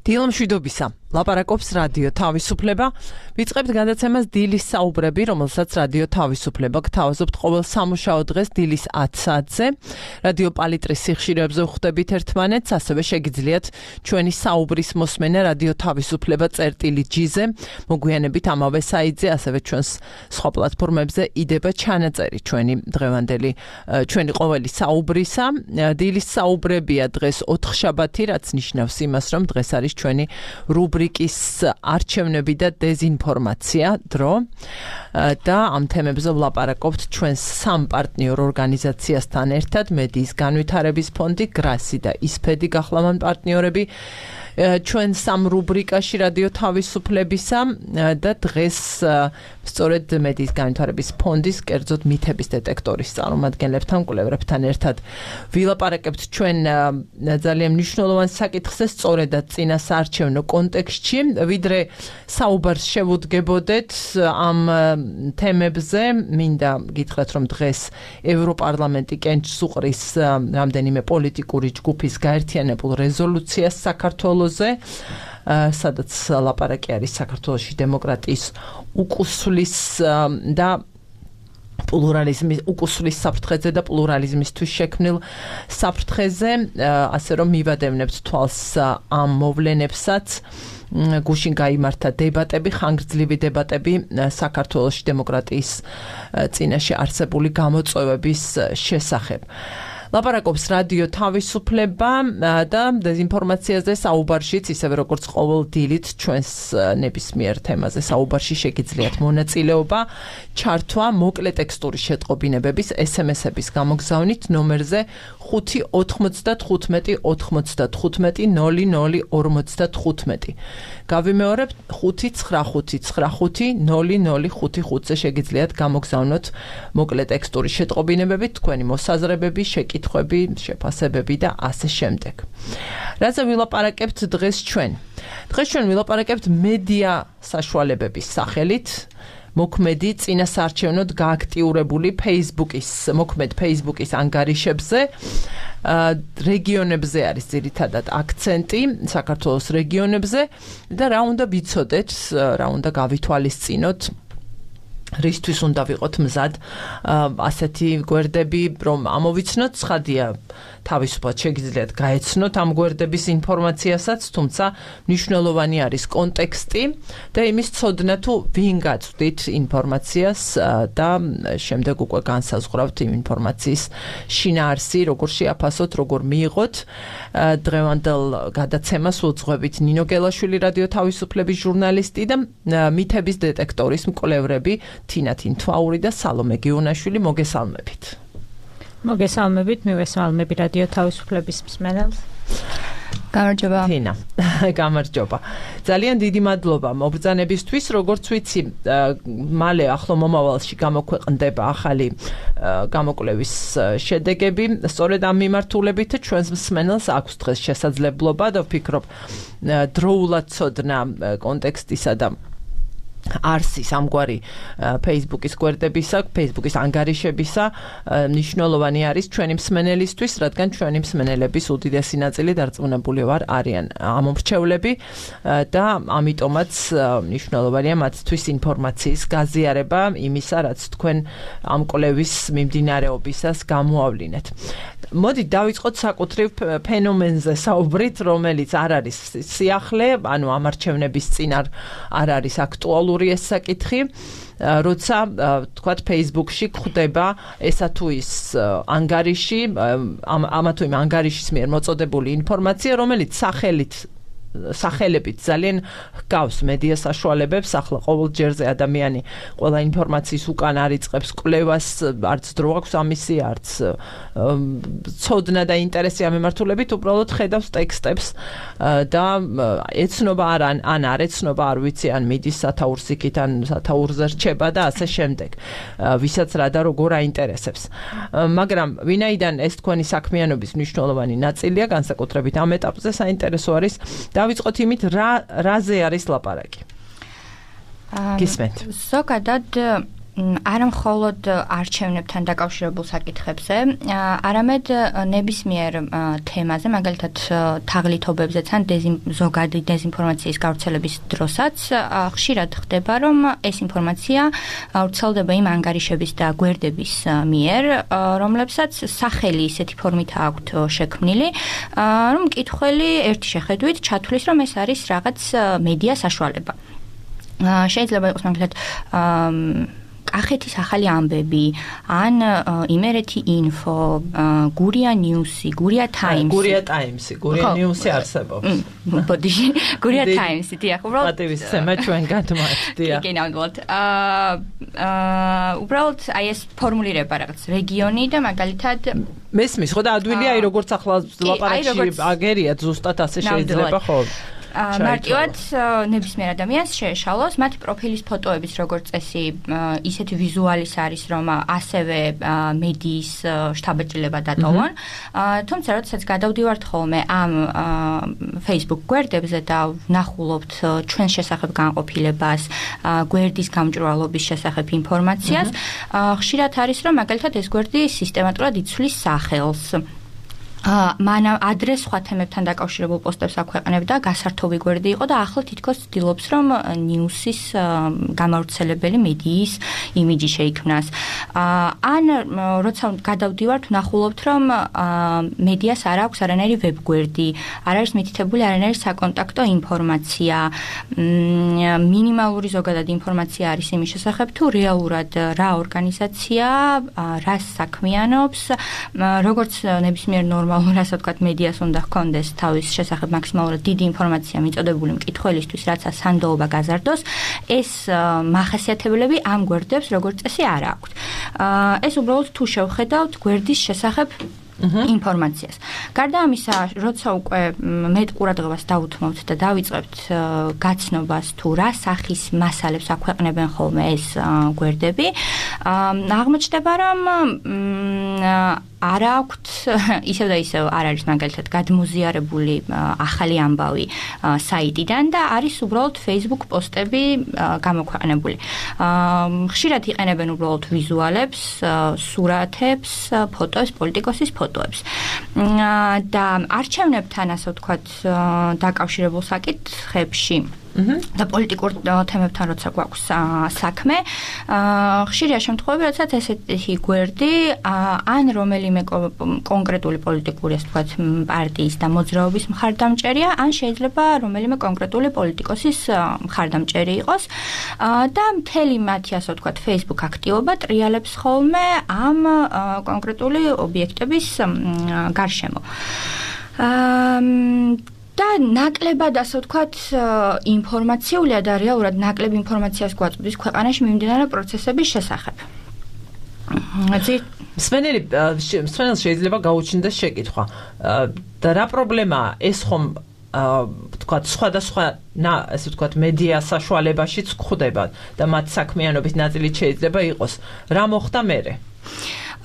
დილა მშვიდობისა. ლაპარაკობს რადიო თავისუფლება. ვიწყებთ გადაცემას დილის საუბრები, რომელსაც რადიო თავისუფლება გთავაზობთ ყოველ სამუშაო დღეს დილის 10 საათზე. რადიო პალიტრის სიხშირეებზე ვხვდებით ერთმანეთს, ასევე შეგიძლიათ ჩვენი საუბრის მოსმენა რადიო თავისუფლება წერტილი-G-ზე, მოგვიანებით ამავე საიტზე, ასევე ჩვენს სხვა პლატფორმებზე იდება ჩანაწერი ჩვენი დღევანდელი, ჩვენი ყოველი საუბრისა. დილის საუბრებია დღეს 4 შაბათი, რაც ნიშნავს იმას, რომ დღეს არის ჩვენი რუბრიკის არჩევნები და დეზინფორმაცია დრო და ამ თემებზე ვლაპარაკობთ ჩვენს სამ პარტნიორ ორგანიზაციასთან ერთად, მედიის განვითარების ფონდი, გრასი და ისფედი გახლავან პარტნიორები ჩვენ სამ რუბრიკაში რადიო თავისუფლებისა და დღეს სწორედ მედიის განვითარების ფონდის კერძოდ მითების დეტექტორის წარმომადგენლებთან, კვლევრებთან ერთად ვილაპარაკებთ ჩვენ ძალიან მნიშვნელოვან საკითხზე, სწორედად წინა საარჩევნო კონტექსტში, ვიდრე საუბარს შევუდგებოდეთ ამ თემებზე, მინდა გითხრათ, რომ დღეს ევროპარლამენტი კენჭს უყრის რამდენიმე პოლიტიკური ჯგუფის გაერთიანებულ რეზოლუციას საქართველოზე, სადაც ლაპარაკი არის საქართველოში დემოკრატიის უკუსვლის და პლურალიზმის უკუსვლის საფრთხეზე და პლურალიზმისთვის შექმნილ საფრთხეზე, ასე რომ მივადევნებთ თვალს ამ მოვლენებსაც. გუშინ გაიმართა დებატები, ხანგრძლივი დებატები საქართველოში დემოკრატიის წინაშე არსებული გამოწვევების შესახებ. ლაპარაკობს რადიო თავისუფლება და დეზინფორმაციაზე საუბარშიც, ისევე როგორც ყოველ დილით ჩვენს ნებისმიერ თემაზე საუბარში შეგიძლიათ მონაწილეობა, ჩართვა მოკლე ტექსტური შეტყობინებების SMS-ების გამოგზავნით ნომერზე 595 95 0055. გავიმეორებ 595 0055-ზე შეგიძლიათ გამოგზავნოთ მოკლე ტექსტური შეტყობინებები, თქვენი მოსაზრებები, შეკითხვები, შეფასებები და ასე შემდეგ. რაზე ვილაპარაკებთ დღეს ჩვენ? დღეს ჩვენ ვილაპარაკებთ მედია საშუალებების სახელით. მოქმედი წინასაარჩევნოდ გააქტიურებული Facebook-ის ანგარიშებზე, რეგიონებზე არის ძირითადად აქცენტი, საქართველოს რეგიონებზე და რა უნდა ვიცოდეთ, რა უნდა გავითვალისწინოთ, რისთვის უნდა ვიყოთ მზად ასეთი გვერდები, რომ ამოვიცნოთ, ცხადია, თავისუფლად შეგიძლიათ გაეცნოთ ამ გვერდების ინფორმაციასაც, თუმცა მნიშვნელოვანი არის კონტექსტი და იმის ცოდნა თუ ვინ გაწვდით ინფორმაციას და შემდეგ უკვე განსაზღვრავთ იმ ინფორმაციის შინაარსი, როგორ შეაფასოთ, როგორ მიიღოთ. დღევანდელ გადაცემას უძღვებით ნინო გელაშვილი, რადიო თავისუფლების ჟურნალისტი და მითების დეტექტორის მკვლევრები თინა თინთვაური და სალომე გიუნაშვილი. მოგესალმებით. მოგესალმებით, მივესალმები რადიო თავისუფლების მსმენელს. გამარჯობა. თინა, გამარჯობა. ძალიან დიდი მადლობა მობრძანებისთვის, როგორც ვიცი, მალე ახლო მომავალში გამოქვეყნდება ახალი გამოკვლევის შედეგები. სწორედ ამ მიმართულებით ჩვენს მსმენელს აქვს დღეს შესაძლებლობა და ვფიქრობ დროულად ცოდნა კონტექსტისა და არსის ამგვარი Facebook-ის გვერდებისა, Facebook-ის ანგარიშებისა მნიშვნელოვანი არის ჩვენი მსმენელისთვის, რადგან ჩვენი მსმენელების უდიდესი ნაწილი დარწმუნებული ვარ არიან ამომრჩევლები და ამიტომაც მნიშვნელოვანია მათთვის ინფორმაციის გაზიარება იმისა, რაც თქვენ ამ კვლევის მიმდინარეობისას გამოავლინეთ. მოდით დავიწყოთ საკუთრივ ფენომენზე საუბრით, რომელიც არ არის სიახლე, ანუ ამ არჩევნების წინ არ არის აქტუალური ეს საკითხი, როცა თქვათ Facebook-ში გვხვდება ესა თუ ის ანგარიში, ამა თუ იმ ანგარიშის მიერ მოწოდებული ინფორმაცია, რომელიც სახელებით ძალიან ჰგავს მედია საშუალებებს, ახლა ყოველ ჯერზე ადამიანი ყველა ინფორმაციის უკან არიწყებს კვლევას, არც დრო აქვს ამისი, არც ცოდნა და ინტერესი ამ მიმართულებით, უბრალოდ ხედავს ტექსტებს და ეცნობა ან არ ეცნობა, არ ვიცი, ან მიდის სათაურს იქით, ან სათაურზე რჩება და ასე შემდეგ. ვისაც რა და როგორ აინტერესებს. მაგრამ ვინაიდან ეს თქვენი საქმიანობის მნიშვნელოვანი ნაწილია, განსაკუთრებით ამ ეტაპზე საინტერესო არის დავიწყოთ იმით, რაზე არის ლაპარაკი. გისმენთ. ზოგადად არა მხოლოდ არჩევნებთან დაკავშირებულ საკითხებზე, არამედ ნებისმიერ თემაზე, მაგალითად თაღლითობებზეც ან ზოგადი დეზინფორმაციის გავრცელების დროსაც ხშირად ხდება, რომ ეს ინფორმაცია ვრცელდება იმ ანგარიშების და გვერდების მიერ, რომლებსაც სახელი ისეთი ფორმით აქვთ შექმნილი, რომ მკითხველი ერთი შეხედვით ჩათვლის, რომ ეს არის რაღაც მედია საშუალება. შეიძლება იყოს მაგალითად კახეთის ახალი ამბები, ან იმერეთი ინფო, გურია ნიუსი, გურია ტაიმსი. გურია ტაიმსი, გურია ნიუსი არსებობს. ბოდიში, გურია ტაიმსი, დიახ, უბრალოდ პატივისცემა ჩვენ გადმოაჩდია. კი, ნამდვილად. უბრალოდ აი ეს ფორმულირება რაღაც რეგიონი და მაგალითად მესმის, ხო და ადვილია აი როგორც ახლა ლაპარაკში აგერია ზუსტად ასე შეიძლება ხო? მარტივად ნებისმიერ ადამიანს შეეშალოს მათი პროფილის ფოტოების როგორც წესი ისეთი ვიზუალის არის რომ ასევე მედიის შთაბეჭდილება დატოვონ თუმცა როდესაც გადავდივართ ხოლმე ამ Facebook გვერდებზე და ვნახულობთ ჩვენს შესახებ განყოფილებას გვერდის გამჭვირვალობის შესახებ ინფორმაციას ხშირად არის რომ მაგალითად ეს გვერდი სისტემატურად იცვლის სახელს მან ადრეს სხვა თემებთან დაკავშირებულ პოსტებს აქვეყნებდა, გასართობი გვერდი იყო და ახლა თითქოს ცდილობს, რომ ნიუსის გამავრცელებელი მედიის იმიჯი შეიქმნას. ან როცა გადავდივართ, ვნახულობთ, რომ მედიას არ აქვს არანაირი ვებგვერდი, არ არის მითითებული არანაირი საკონტაქტო ინფორმაცია, მინიმალური ზოგადად ინფორმაცია არის იმის შესახებ, თუ რეალურად რა ორგანიზაცია, რას საქმიანობს, როგორც ნებისმიერ ასე ვთქვათ, მედიას უნდა ჰქონდეს თავის შესახებ მაქსიმალურად დიდი ინფორმაცია მიწოდებული მკითხველისთვის, რაც სანდოობა გაზარდოს, ეს მახასიათებლები ამ გვერდებს როგორც წესი არ აქვთ. ეს უბრალოდ თუ შევხედავთ გვერდის შესახებ ინფორმაციას. გარდა ამისა, როცა უკვე მეტ ყურადღებას დავუთმობთ და დავიწყებთ გაცნობას თუ რა სახის მასალებს აქვეყნებენ ხოლმე ეს გვერდები, აღმოჩნდება, რომ არ აქვთ ისევ და ისევ არ არის მაგალითად გადმოზიარებული ახალი ამბავი საიტიდან და არის უბრალოდ Facebook პოსტები გამოქვეყნებული. ხშირად იყენებენ უბრალოდ ვიზუალებს, სურათებს, ფოტოებს, პოლიტიკოსის ფოტოებს. და არჩევნებთან ასე ვთქვათ დაკავშირებულ საკითხებში და პოლიტიკურ თემებთან როცა გვაქვს საქმე, ხშირია შემთხვევები, როდესაც ესეთი გვერდი ან რომელიმე კონკრეტული პოლიტიკური, ასე ვთქვათ, პარტიის და მოძრაობის მხარდამჭერია, ან შეიძლება რომელიმე კონკრეტული პოლიტიკოსის მხარდამჭერი იყოს და მთელი მათი, ასე ვთქვათ, Facebook აქტივობა ტრიალებს ხოლმე ამ კონკრეტული ობიექტების გარშემო. და ნაკლებად, ასე ვთქვათ, ინფორმაციულია და რეალურად ნაკლებ ინფორმაციას გვაწვდის ქვეყანაში მიმდინარე პროცესების შესახებ. მსმენელს შეიძლება გაუჩნდეს შეკითხვა. და რა პრობლემაა ეს ხომ ვთქვათ, სხვადასხვა ასე ვთქვათ, მედია საშუალებაშიც გვხვდება და მათ საქმიანობის ნაწილი შეიძლება იყოს. რა მოხდა მერე?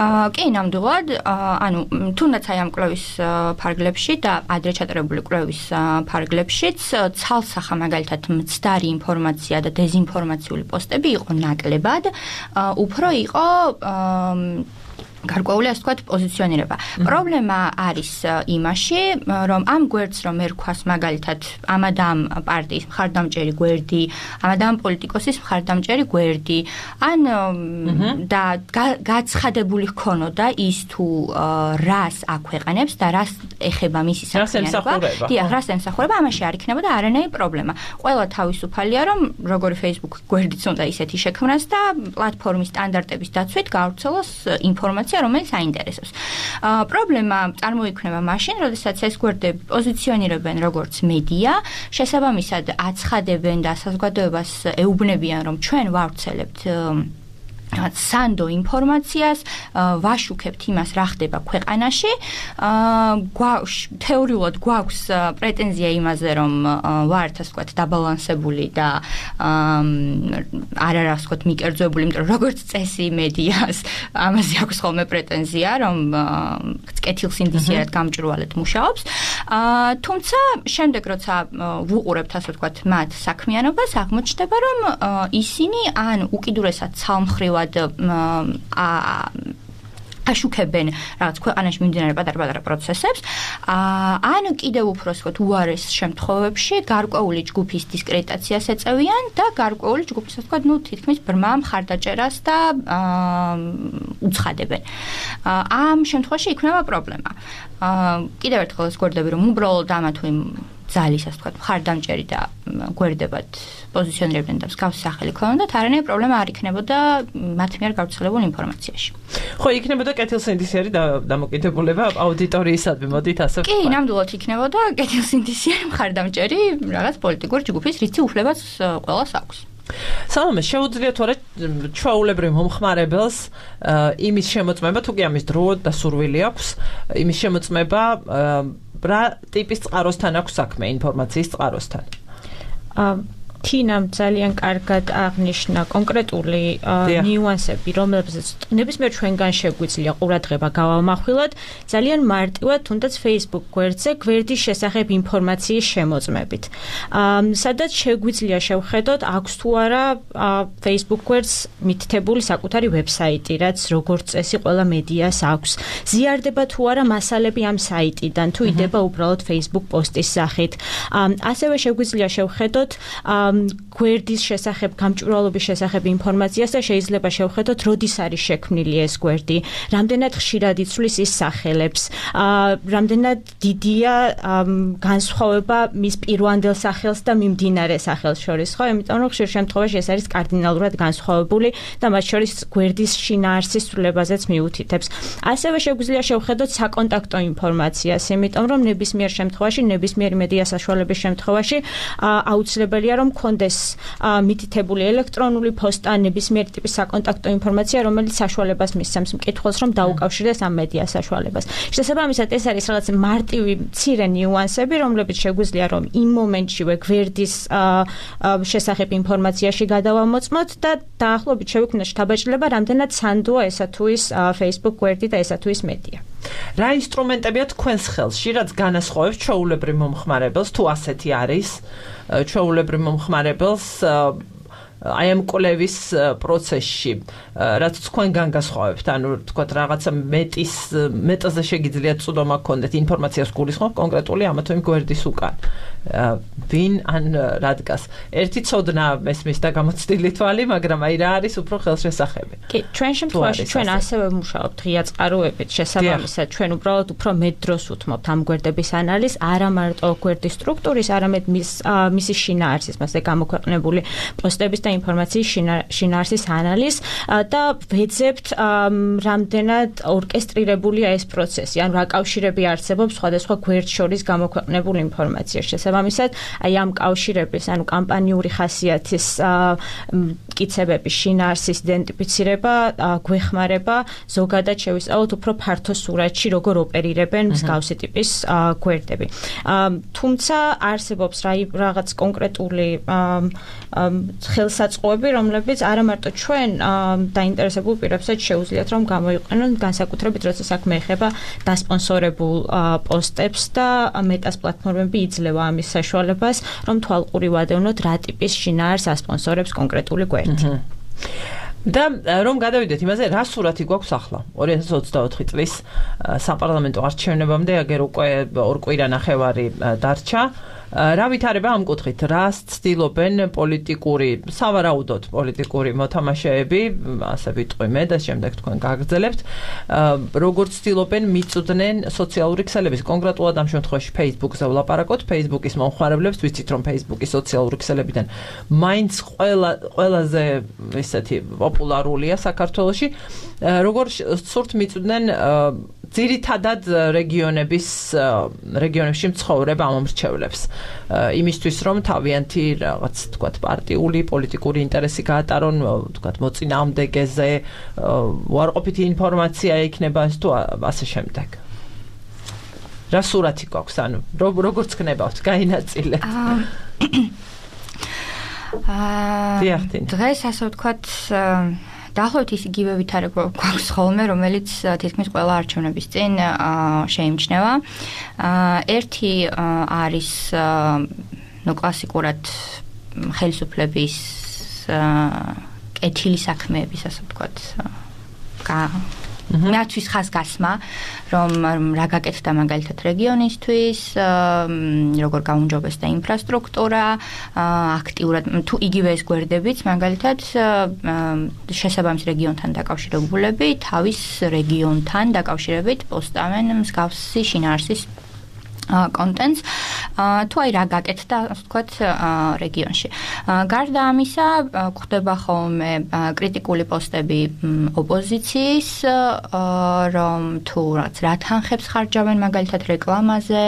კი, ნამდვილად, ანუ თუნდაც აი ამ კვლევის ფარგლებში და ადრე ჩატარებული კვლევის ფარგლებშიც ცალსახა მაგალითად მცდარი ინფორმაცია და დეზინფორმაციული პოსტები იყო ნაკლებად, უფრო იყო გარკვეული, ასე ვთქვათ, პოზიციონირება. პრობლემა არის იმაში, რომ ამ გვერდს რომ ერქვას მაგალითად ამ და ამ პარტიის მხარდამჭერი გვერდი, ამ და ამ პოლიტიკოსის მხარდამჭერი გვერდი, ან და გაცხადებული ჰქონოდა ის თუ რას აქვეყნებს და რას ეხება მისი საქმიანობა. დიახ, რას ემსახურება, ამაში არ იქნებოდა არანაირი პრობლემა. ყველა თავისუფალია, რომ როგორი Facebook გვერდიც უნდა ისეთი შექმნას და პლატფორმის სტანდარტების დაცვით გაავრცელოს ინფორმაცია რომელიც აინტერესებს. პრობლემა წარმოიქმნება მაშინ, როდესაც ეს გვერდები პოზიციონირებენ როგორც მედია, შესაბამისად აცხადებენ და საზოგადოებას ეუბნებიან, რომ ჩვენ ვავრცელებთ სანდო ინფორმაციას, ვაშუქებთ იმას, რა ხდება ქვეყანაში. თეორიულად გვაქვს პრეტენზია იმაზე, რომ ვართ, ასე ვთქვათ, დაბალანსებული და არ არის ვთქვათ მიკერძოებული, იმიტომ რომ როგორც წესი მედიას ამაზე აქვს ხოლმე პრეტენზია, რომ კეთილსინდისიერად გამჭვირვალედ მუშაობს. თუმცა შემდეგ როცა ვუყურებთ ასე ვთქვათ მათ საქმიანობას, აღმოჩნდება რომ ისინი ან უკიდურესად ცალმხრივად აშუქებენ რაღაც ქვეყანაში მიმდინარე პატარ-პატარა პროცესებს, ან კიდევ უფრო ვთქვათ უარეს შემთხვევებში გარკვეული ჯგუფის დისკრედიტაციას ეწევიან და გარკვეული ჯგუფის ვთქვათ, თითქმის ბრმა მხარდაჭერას და უცხადებენ. ამ შემთხვევაში იქნება პრობლემა. კიდევ ერთხელ ეს გვერდები რომ უბრალოდ ამა თუ იმ ძალის ასე ვთქვათ, მხარდამჭერი და გვერდებად პოზიციონირებდნენ და მსგავსი სახელი ქონდათ, არანაირი პრობლემა არ იქნებოდა მათ მიერ გავრცელებულ ინფორმაციაში. ხო, იქნებოდა კეთილსინდისიერი დამოკიდებულება აუდიტორიისადმი, მოდით ასე ვთქვათ. კი, ნამდვილად იქნებოდა კეთილსინდისიერი მხარდამჭერი რაღაც პოლიტიკური ჯგუფის, რითი უფლებაც ყველას აქვს. სალომე, შეუძლიათ თუ არა ჩვეულებრივ მომხმარებელს იმის შემოწმება, თუ კი ამის დრო და სურვილი აქვს, იმის შემოწმება რა ტიპის წყაროსთან აქვს საქმე, ინფორმაციის წყაროსთან? თინამ ძალიან კარგად აღნიშნა კონკრეტული ნიუანსები, რომლებზეც ნებისმიერ ჩვენგან შეგვიძლია ყურადღება გავამახვილოთ, ძალიან მარტივად, თუნდაც Facebook გვერდზე გვერდის შესახებ ინფორმაციის შემოწმებით. სადაც შეგვიძლია შევხედოთ, აქვს თუ არა Facebook გვერდს მითითებული საკუთარი ვებსაიტი, რაც როგორც წესი ყველა მედიას აქვს. ზიარდება თუ არა მასალები ამ საიტიდან, თუ იდება უბრალოდ Facebook პოსტის სახით. ასევე შეგვიძლია შევხედოთ გვერდის შესახებ, გამჭვირვალობის შესახებ ინფორმაციას და შეიძლება შევხედოთ, როდის არის შექმნილი ეს გვერდი, რამდენად ხშირად იცვლის ის სახელებს, რამდენად დიდია განსხვავება მის პირვანდელ სახელს და მიმდინარე სახელს შორის, ხო? იმიტომ რომ ხშირ შემთხვევაში ეს არის კარდინალურად განსხვავებული და მათ შორის გვერდის შინაარსის ცვლილებაზეც მიუთითებს. ასევე შეგვიძლია შევხედოთ საკონტაქტო ინფორმაციას, იმიტომ რომ ნებისმიერ შემთხვევაში, ნებისმიერი მედია საშუალების შემთხვევაში აუცილებელია რომ კონდეს მითითებული ელექტრონული პოსტა, ნებისმიერი ტიპის საკონტაქტო ინფორმაცია, რომელიც საშუალებას მისცემს მკითხველს, რომ დაუკავშირდეს ამ მედია საშუალებას. შესაბამისად, ეს არის რაღაც მარტივი მცირე ნიუანსები, რომლებიც შეგვიძლია რომ იმ მომენტშივე გვერდის შესახებ ინფორმაციაში გადავამოწმოთ და დაახლოებით შევიქმნათ შთაბეჭდილება, რამდენად სანდოა ესა თუ ის Facebook გვერდი და ესა თუ ის მედია. რა ინსტრუმენტებია თქვენს ხელში, რაც განასხვავებს ჩვეულებრივ მომხმარებელს, თუ ასეთი არის, ჩვეულებრივ მომხმარებელს აი ამ კვლევის პროცესში, რაც თქვენგან გასხვავებთ, ანუ თქვათ რაღაცა მეტაზე შეგიძლიათ წვდომა გქონდეთ ინფორმაციას გულისხმობ კონკრეტული ამა თუ იმ გვერდის უკან. ვინ ან რადგას. ერთი ცოდნა მესმის და გამოცდილი თვალი, მაგრამ აი რა არის უფრო ხელშესახები. კი, ჩვენ შემთხვევაში ჩვენ ასევე ვმუშაობთ ღია წყაროებით, შესაბამისად ჩვენ უბრალოდ უფრო მეტ დროს უთმობთ ამ გვერდების ანალიზს, არა მარტო გვერდის სტრუქტურის, არამედ მისი შინაარსის, მასე გამოქვეყნებული პოსტების და ინფორმაციის შინაარსის ანალიზს და ვეძებთ რამდენად ორკესტრირებულია ეს პროცესი, ან რა კავშირები არსებობს სხვადასხვა გვერდს შორის გამოქვეყნებულ ინფორმაციას. შესაბამისად, აი ამ კავშირების, ანუ კამპანიური ხასიათის მტკიცებების შინაარსის იდენტიფიცირება გვეხმარება ზოგადად შევისწავლოთ უფრო ფართო სურათში, როგორ ოპერირებენ მსგავსი ტიპის გვერდები. თუმცა არსებობს რაღაც კონკრეტული ხელსაწყოები, რომლებიც არა მარტო ჩვენ დაინტერესებულ პირებსაც შეუძლიათ რომ გამოიყენონ, განსაკუთრებით როცა საქმე ეხება დასპონსორებულ პოსტებს და მეტას პლატფორმები იძლევა ამის საშუალებას, რომ თვალყური ვადევნოთ რა ტიპის შინაარსს ასპონსორებს კონკრეტული გვერდი. და რომ გადავიდეთ იმაზე, რა სურათი გვაქვს ახლა 2024 წლის საპარლამენტო არჩევნებამდე, აგერ უკვე 2 კვირა-ნახევარი დარჩა. რა ვითარება ამ კუთხით? რას ცდილობენ პოლიტიკური, სავარაუდოდ პოლიტიკური მოთამაშეები, ასე ვიტყვი მე და შემდეგ თქვენ გაგრძელებთ, როგორც ცდილობენ მიწვდნენ სოციალური ქსელების, კონკრეტულად ამ შემთხვევაში Facebook-ზე ვლაპარაკოთ, Facebook-ის მომხმარებლებს, ვიცით რომ Facebook-ის სოციალური ქსელებიდან მაინც ყველაზე ესეთი პოპულარულია საქართველოში, როგორც სურთ მიწვდნენ ძირითადად რეგიონებში მცხოვრებ ამომრჩევლებს. იმისთვის რომ თავიანთი რაღაც თქვათ პარტიული, პოლიტიკური ინტერესი გაატარონ, თქვათ მოწინააღმდეგეზე, უარყოფითი ინფორმაცია იქნება ეს თუ ასე შემდეგ. რა სურათი გვაქვს, ანუ როგორც ხნებავთ, გაინაწილეთ. დღეს ასე ვთქვათ დაახლოებით ის იგივე ვითარება გვაქვს ხოლმე, რომელიც თითქმის ყველა არჩევნების წინ შეიმჩნევა. ერთი არის კლასიკურად ხელისუფლების კეთილი საქმეების, ასე ვთქვათ, მათთვის ხაზგასმა, რომ რა გაკეთდა მაგალითად რეგიონისთვის, როგორ გაუმჯობესდა ინფრასტრუქტურა, აქტიურად თუ იგივე ეს გვერდებიც მაგალითად შესაბამის რეგიონთან დაკავშირებულები თავის რეგიონთან დაკავშირებით პოსტავენ მსგავსი შინაარსის კონტენტს თუ აი რა გაკეთდა ასე ვთქვათ რეგიონში. გარდა ამისა გვხდება ხოლმე კრიტიკული პოსტები ოპოზიციის, რომ თუ რაც რა თანხებს ხარჯავენ მაგალითად რეკლამაზე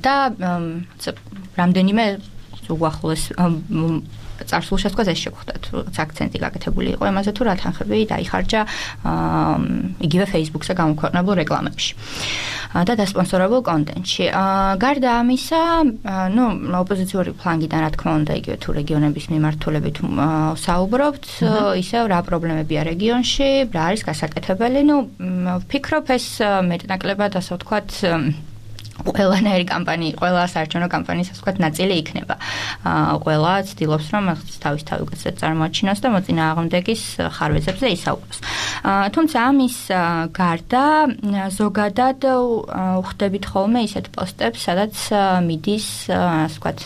და რამდენიმე უახლოეს წარსულში თქვა ეს შეგვხვდათ, აქცენტი გაკეთებული იყო იმაზე თუ რა თანხები დაიხარჯა იგივე Facebook-ზე გამოქვეყნებულ რეკლამებში და დასპონსორებულ კონტენტში. გარდა ამისა, ოპოზიციური ფლანგიდან რა თქმა უნდა იგივე თუ რეგიონების მიმართულებით საუბრობთ, ისევ რა პრობლემებია რეგიონში, რა არის გასაკეთებელი. ვფიქრობ ეს მეტნაკლებად ასე ვთქვათ ყველანაირი კამპანია, ყველა საარჩევნო კამპანიის ასე ვთქვათ ნაწილი იქნება. ყველა ცდილობს რომ თავისთავად უკეთესად წარმოაჩინოს და მოწინააღმდეგის ხარვეზებზე ისაუბროს. თუმცა ამის გარდა ზოგადად ვხვდებით ხოლმე ისეთ პოსტებს, სადაც მიდის ასე ვთქვათ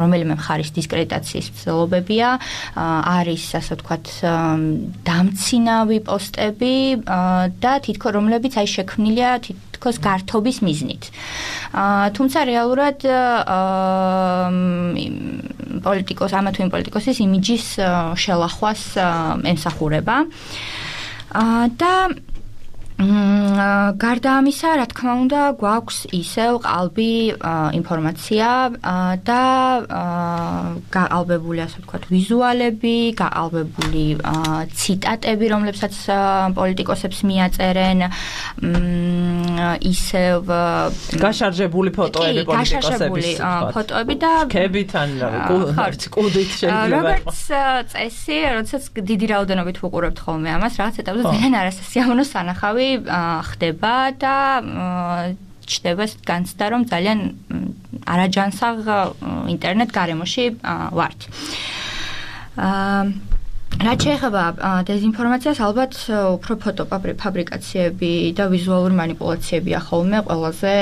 რომელიმე მხარის დისკრედიტაციის ცდილობებია, არის ასე ვთქვათ დამცინავი პოსტები და თითქოს რომლებიც აი შექმნილია თითქოს გართობის მიზნით. თუმცა რეალურად ამა თუ იმ პოლიტიკოსის იმიჯის შელახვას ემსახურება და გარდა ამისა, რა თქმა უნდა, გვაქვს ისევ ყალბი ინფორმაცია და გაყალბებული, ასე ვთქვათ, ვიზუალები, გაყალბებული ციტატები, რომლებსაც პოლიტიკოსებს მიაწერენ, ისევ გაშარჟებული ფოტოები პოლიტიკოსების, ფოტოები და კებიდან, კუდით შეიძლება. როგორც წესი, როდესაც დიდი რაოდენობით ვუყურებთ ხოლმე ამას, რაღაც ეტაპზე ძალიან არასასიამოვნო სანახავი ხდება და ჩდება განცდა, რომ ძალიან არაჯანსაღ ინტერნეტ გარემოში ვართ. რაც შეეხება დეზინფორმაციას, ალბათ უფრო ფოტოფაბრიკაციები და ვიზუალური მანიპულაციებია ხოლმე ყველაზე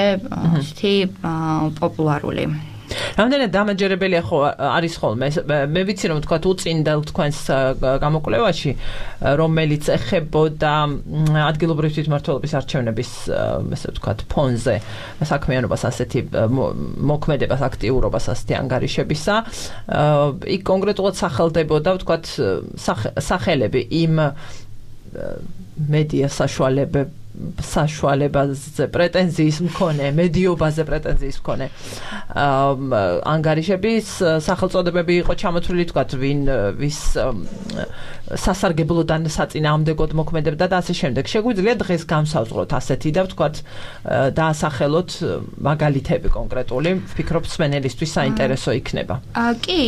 ისეთი პოპულარული. რამდენად დამაჯერებელია არის ხოლმე. მე ვიცი რომ თქვა უწინდელ თქვენს გამოკვლევაში, რომელიც ეხებოდა ადგილობრივი თვითმმართველობის არჩევნების, ესე ვთქვათ, ფონზე საქმიანობას, ასეთი მოქმედებას, აქტიურობას, ასეთი ანგარიშებისა, იქ კონკრეტულად სახელდებოდა, ვთქვათ, სახელები იმ მედია საშუალებაზე პრეტენზიის მქონე, მედიობაზე პრეტენზიის მქონე ანგარიშების სახელწოდებები იყო ჩამოთვლილი, თქვათ, ვის სასარგებლოდან საწინააღმდეგოდ მოქმედებდა და ასე შემდეგ. შეგვიძლია დღეს გამსავწროთ ასეთი და ვთქვათ დაასახელოთ მაგალითები კონკრეტული, ვფიქრობ მსმენელისთვის საინტერესო იქნება. კი,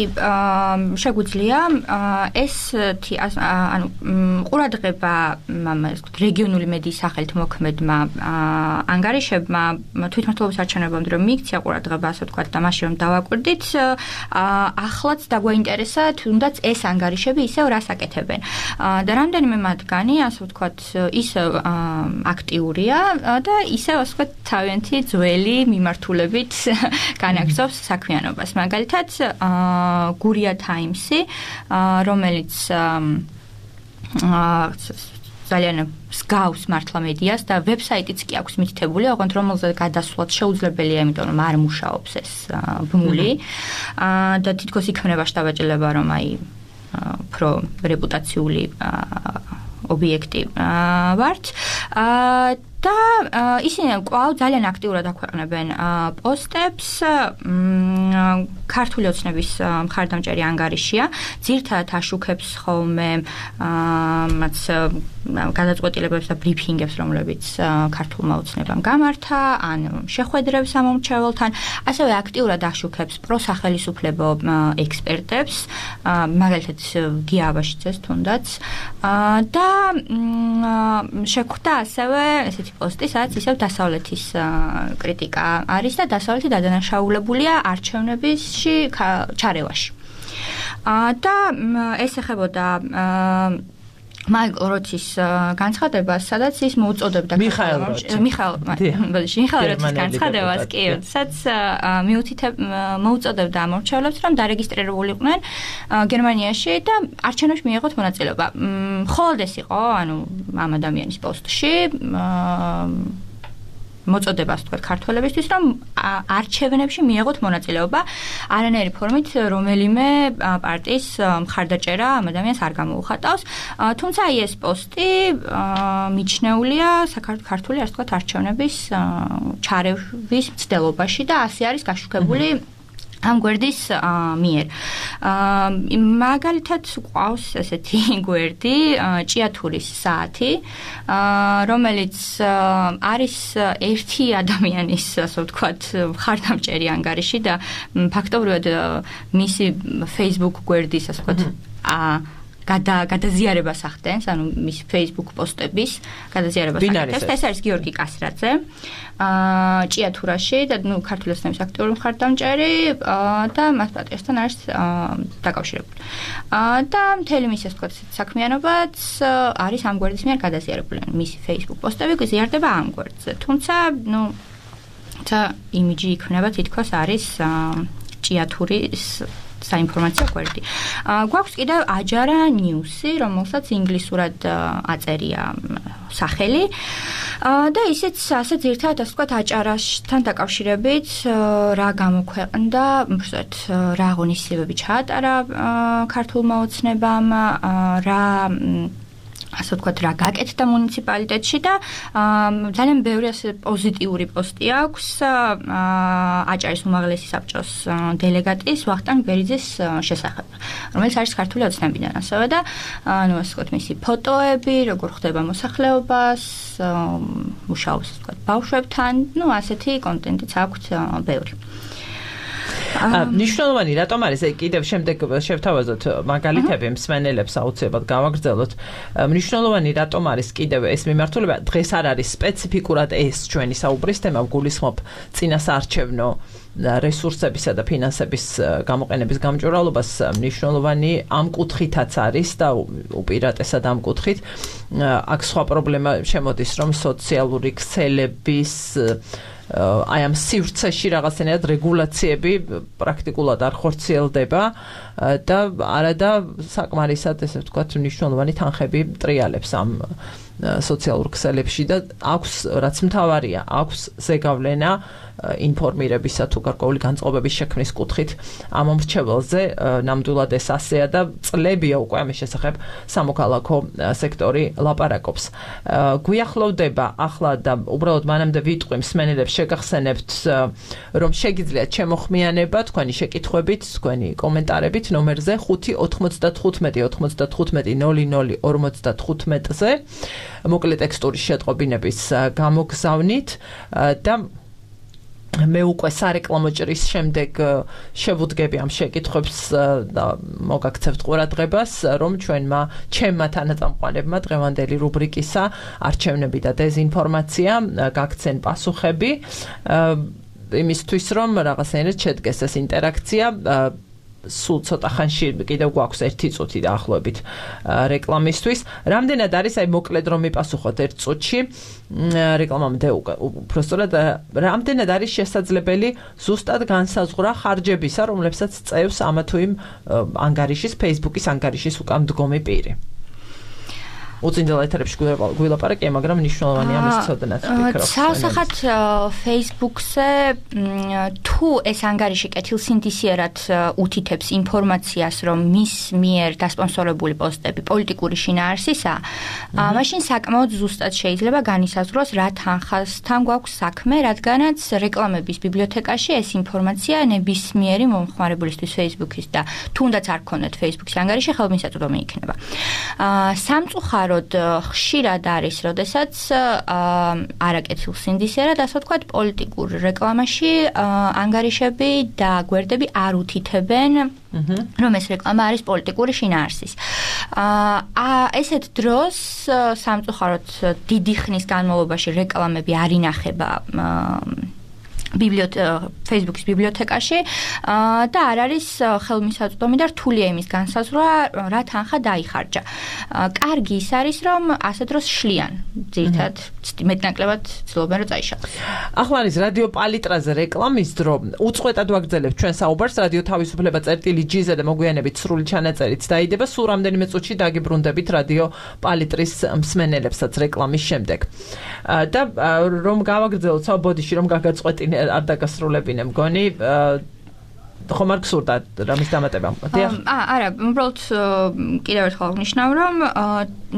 შეგვიძლია ეს ანუ ყურადღება რეგიონული მედიის სახელით მოქმედმა ანგარიშებმა თვითმმართველობის არჩევნებამდე რომ მიიქცია ყურადღება, ასე ვთქვათ, და მაშინ რომ დავაკვირდით, ახლაც დაგვაინტერესა თუნდაც ეს ანგარიშები ისევ რას აკეთებენ. და რამდენიმე მათგანი, ასე ვთქვათ, ისევ აქტიურია და ისევ, ასე ვთქვათ, თავიანთი ძველი მიმართულებით განაგრძობს საქმიანობას. მაგალითად, გურია ტაიმსი, რომელიც ძალიან მსგავს მართლა მედიას და ვებსაიტიც კი აქვს მითითებული, ოღონდ რომელზეც გადასვლაც შეუძლებელია, იმიტომ რომ არ მუშაობს ეს ბმული და თითქოს იქმნება შთაბეჭდილება, რომ აი უფრო რეპუტაციული ობიექტი ვართ და ისინი კვლავ ძალიან აქტიურად აქვეყნებენ პოსტებს, ქართული ოცნების მხარდამჭერი ანგარიშია, ძირთადად აშუქებს ხოლმე მათ გადაწყვეტილებებს და ბრიფინგებს, რომლებიც ქართულმა ოცნებამ გამართა, ან შეხვედრებს ამომრჩეველთან, ასევე აქტიურად აშუქებს პროსახელისუფლებო ექსპერტებს, მაგალითად გია აბაშიძეს თუნდაც, და შეგვხვდა ასევე ესეთი პოსტი, სადაც ისევ დასავლეთის კრიტიკა არის და დასავლეთი დადანაშაულებულია არჩევნებში ჩარევაში. და ეს ეხებოდა მაიკლ როჩის განცხადებას, სადაც ის მოუწოდებდა მიხაილ როჩის განცხადებას, კი, სადაც მოუწოდებდა ამორჩევლებს, რომ დარეგისტრირებულიყვნენ გერმანიაში და არჩევნებში მიიღოთ მონაწილეობა. მხოლოდ ეს იყო, ანუ ამ ადამიანის პოსტში მოწოდებას თქვა ქართველებისთვის, რომ არჩევნებში მიიღოთ მონაწილეობა, არანაირი ფორმით რომელიმე პარტიის მხარდაჭერა ამ ადამიანს არ გამოუხატავს. თუმცა ეს პოსტი მიჩნეულია ქართული, ასე ვთქვათ, არჩევნების ჩარევის მცდელობაში და ასე არის გაშუქებული ამ გვერდის მიერ. მაგალითად ყავს ესეთი გვერდი, ჭიათურის საათი, რომელიც არის ერთი ადამიანის, ასე ვთქვათ, მხარდამჭერი ანგარიში და ფაქტობრივად მისი Facebook გვერდის, ასე ვთქვათ, გადაზიარებას ახდენს, ანუ მის Facebook პოსტების გადაზიარებას ახდენს. ეს არის გიორგი კასრაძე, ჭიათურაში და ქართული ოცნების აქტიური მხარდამჭერი და მას პარტიასთან არის დაკავშირებული. და მთელი მისი, ასე ვთქვათ, საქმიანობაც არის ამ გვერდის მიერ გადაზიარებული. მისი Facebook პოსტები გზიარდება ამ გვერდზე. თუმცა, იმიჯი იქნება თითქოს არის ჭიათურის საინფორმაციო გვერდი. გვაქვს კიდევ აჯარა ნიუსი, რომელსაც ინგლისურად აწერია სახელი და ისიც ასე ძირთადად, ასე ვთქვათ, აჭარასთან დაკავშირებით რა გამოქვეყნდა, უბრალოდ რა აღონისებები ჩაატარა ქართულმა ოცნებამ, რა ასე ვთქვათ, რა გაკეთდა მუნიციპალიტეტში და ძალიან ბევრი ასე პოზიტიური პოსტი აქვს აჭარის უმაღლესი საბჭოს დელეგატის ვახტანგ ბერიძის შესახებ, რომელიც არის ქართული ოცნებიდან ასევე და ასე ვთქვათ, მისი ფოტოები, როგორ ხდება მოსახლეობას, მუშაობს, ასე ვთქვათ, ბავშვებთან, ასეთი კონტენტიც აქვს ბევრი. ნიშნულოვანი რატომ არის კიდევ შემდეგ შევთავაზოთ მაგალითები მსმენელებს აუცილებლად გავაგრძელოთ. ნიშნულოვანი რატომ არის კიდევ ეს მიმართულება, დღეს არ არის სპეციფიკურად ეს ჩვენი საუბრის თემა, გულისხმობ წინასაარჩევნო რესურსებისა და ფინანსების გამოყენების გამჭვირვალობას, ნიშნულოვანი ამ კუთხითაც არის და უპირატესად ამ კუთხით. აქ სხვა პრობლემა შემოდის, რომ სოციალური ქსელების აი ამ სივრცეში რაღაცნაირად რეგულაციები პრაქტიკულად არ ხორციელდება და არადა საკმარისად, ესე ვთქვათ, მნიშვნელოვანი თანხები ტრიალებს ამ სოციალურ ქსელებში და აქვს, რაც მთავარია, აქვს ზეგავლენა ინფორმირებისა თუ გარკვეული განწყობების შექმნის კუთხით ამ მომრჩეველზე. ნამდვილად ეს ასეა და წლებია უკვე ამის შესახებ სამოქალაქო სექტორი ლაპარაკობს. გვიახლოვდება ახლა და უბრალოდ მანამდე ვიტყვი მსმენელებს, შეგახსენებთ, რომ შეგიძლიათ შემოხმიანება თქვენი შეკითხვებით, თქვენი კომენტარებით ნომერზე 595-95-00-55-ზე მოკლე ტექსტური შეტყობინების გამოგზავნით და მე უკვე სარეკლამო ჭრის შემდეგ შევუდგები ამ შეკითხვებს და მოგაქცევთ ყურადღებას, რომ ჩემმა თანაწამყვანებმა დღევანდელი რუბრიკისა არჩევნები და დეზინფორმაცია გაქცენ პასუხები იმისთვის, რომ რაღაცნაირად შედგეს ეს ინტერაქცია. სულ ცოტა ხანში კიდევ გვაქვს 1 წუთი დაახლოებით რეკლამისთვის. რამდენად არის, აი მოკლედ რომ მიპასუხოთ 1 წუთში რეკლამამდე უბრალოდ რამდენად არის შესაძლებელი ზუსტად განსაზღვრა ხარჯებისა, რომლებსაც წევს ამა თუ იმ ანგარიშის, Facebook-ის ანგარიშის უკან მდგომი პირი? უწინდელ ეთერებში გვილაპარაკია, მაგრამ მნიშვნელოვანია მის ცოდნაც ვფიქრობ. საოსახად Facebook-ზე თუ ეს ანგარიში კეთილსინდისიერად უთითებს ინფორმაციას, რომ მის მიერ დასპონსორებული პოსტები პოლიტიკური შინაარსისაა, მაშინ საკმაოდ ზუსტად შეიძლება განისაზღვროს რა თანხასთან გვაქვს საქმე, რადგანაც რეკლამების ბიბლიოთეკაში ეს ინფორმაცია ნებისმიერი მომხმარებლისთვის Facebook-ის და თუნდაც არ გქონდეთ Facebook-ის ანგარიში, ხელმისაწვდომი იქნება. სამწუხაროდ ხშირად არის, როდესაც არაკეთილსინდისიერად, ასე ვთქვათ, პოლიტიკურ რეკლამაში ანგარიშები და გვერდები არ უთითებენ, რომ ეს რეკლამა არის პოლიტიკური შინაარსის. ესეთ დროს სამწუხაროდ დიდი ხნის განმავლობაში რეკლამები არ ინახება Facebook-ის ბიბლიოთეკაში და არ არის ხელმისაწვდომი და რთულია იმის განსაზღვრა, რა თანხა დაიხარჯა. კარგი ის არის, რომ ასე დროს შლიან, ძირითადად მეტნაკლებად ცდილობენ, რომ წაიშალოს. ახლა არის რადიო პალიტრაზე რეკლამის დრო. უწყვეტად ვაგრძელებთ ჩვენ საუბარს, რადიო თავისუფლება წერტილი-G-ზე და მოგვიანებით სრული ჩანაწერით დაიდება. სულ რამდენიმე წუთში დაგიბრუნდებით რადიო პალიტრის მსმენელებსაც რეკლამის შემდეგ. და რომ გავაგრძელოთ საბოდიში, რომ გაგაწყვეტინე არ დაგასრულებინე მგონი ხომ არ გსურდა რამის დამატება? არა, უბრალოდ კიდევ ერთხელ აღნიშნავ, რომ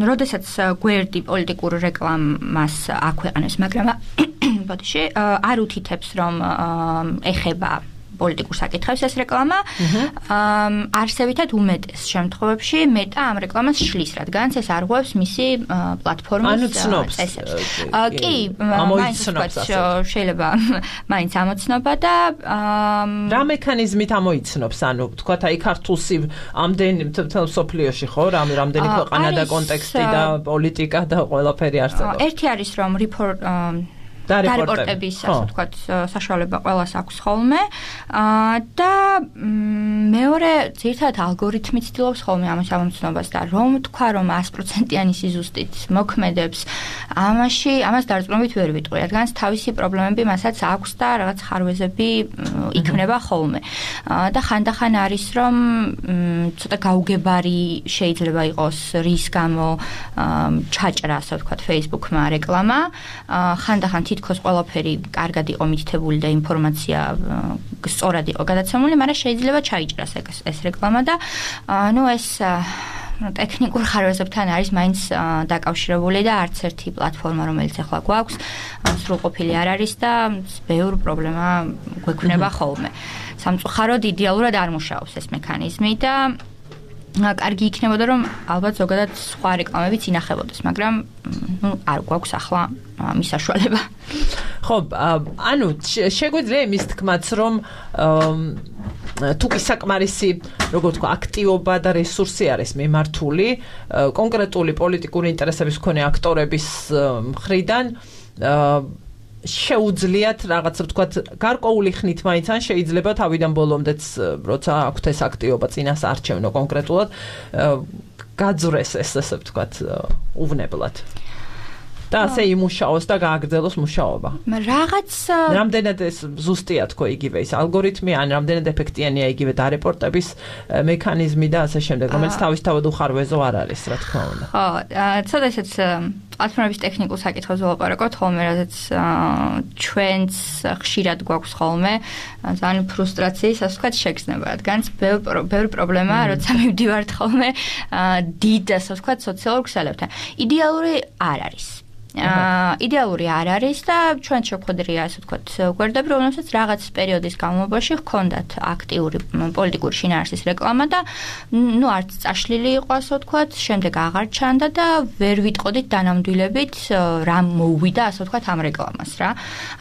როდესაც გვერდი პოლიტიკურ რეკლამას აქვეყნებს, მაგრამ ბოდიში არ უთითებს, რომ ეხება პოლიტიკურ საკითხებს ეს რეკლამა, არსებითად უმეტეს შემთხვევებში მეტა ამ რეკლამას შლის, რადგანაც ეს არღვევს მისი პლატფორმის წესებს. კი, შეიძლება მაინც ამოცნობა და რა მექანიზმით ამოიცნობს, ანუ თქვათ აი ქართულსი ამდენი მთელ სოფლიოში ხო, რამდენი ქვეყანა და კონტექსტი და პოლიტიკა და ყველაფერი არსებობს. ერთი არის რომ დარეპორტების, ასე ვთქვათ, საშუალება ყველას აქვს ხოლმე და მეორე ძირითადად ალგორითმი ცდილობს ხოლმე ამას ამოცნობას და რომ თქვა რომ 100%-იანი სიზუსტით მოქმედებს, ამას დარწმუნებით ვერ ვიტყვი, რადგანაც თავისი პრობლემები მასაც აქვს და რაღაც ხარვეზები იქმნება ხოლმე. და ხანდახან არის რომ ცოტა გაუგებარი შეიძლება იყოს რის გამო ჩაჭრა, ასე ვთქვათ, Facebook-მა რეკლამა, ხანდახან თითქოს ყველაფერი კარგად იყო მითითებული და ინფორმაცია სწორად იყო გადაცემული, მაგრამ შეიძლება ჩაიჭრას ეს რეკლამა და ეს ტექნიკურ ხარვეზებთან არის მაინც დაკავშირებული და არც ერთი პლატფორმა, რომელიც ახლა გვაქვს, სრულყოფილი არ არის და ბევრი პრობლემა გვექნება ხოლმე. სამწუხაროდ იდეალურად არ მუშაობს ეს მექანიზმი და კარგი იქნებოდა რომ ალბათ ზოგადად სხვა რეკლამებიც ინახებოდეს, მაგრამ არ გვაქვს ახლა მის საშუალება. ხო, ანუ შეგვიძლია იმის თქმაც, რომ თუ კი საკმარისი, როგორ ვთქვა, აქტივობა და რესურსი არის მიმართული კონკრეტული პოლიტიკური ინტერესების მქონე აქტორების მხრიდან შეუძლიათ რაღაცა ვთქვათ გარკვეული ხნით მაინც ან შეიძლება თავიდან ბოლომდეც როცა აქვთ ეს აქტივობა წინას არჩევნო კონკრეტულად გაძრეს ეს ასე ვთქვათ უვნებლად და ასე იმუშაოს და გააგრძელოს მუშაობა. რამდენად ეს ზუსტია თქო იგივე ის ალგორითმი ან რამდენად ეფექტიანია იგივე დარეპორტების მექანიზმი და ასე შემდეგ, რომელიც თავისთავად უხარვეზო არ არის, რა თქმა უნდა. ხო, ცოტა ესეც პლატფორმების ტექნიკურ საკითხებს ველაპარაკობთ ხოლმე, რადგან ჩვენც ხშირად გვაქვს ხოლმე ძალიან ფრუსტრაციის, ასე ვთქვათ, შეგრძნება, რადგან ბევრი პრობლემა, როცა მივდივართ ხოლმე დიდ, ასე ვთქვათ, სოციალურ ქსელებთან. იდეალური არ არის. იდეალური არ არის და ჩვენ შეგვხვედრია, ასე ვთქვათ, გვერდები, რომელსაც რაღაც პერიოდის განმავლობაში ჰქონდათ აქტიური პოლიტიკური შინაარსის რეკლამა და არც წაშლილი იყო, ასე ვთქვათ, შემდეგ აღარ ჩანდა და ვერ ვიტყოდით დანამდვილებით რა მოუვიდა, ასე ვთქვათ, ამ რეკლამას რა.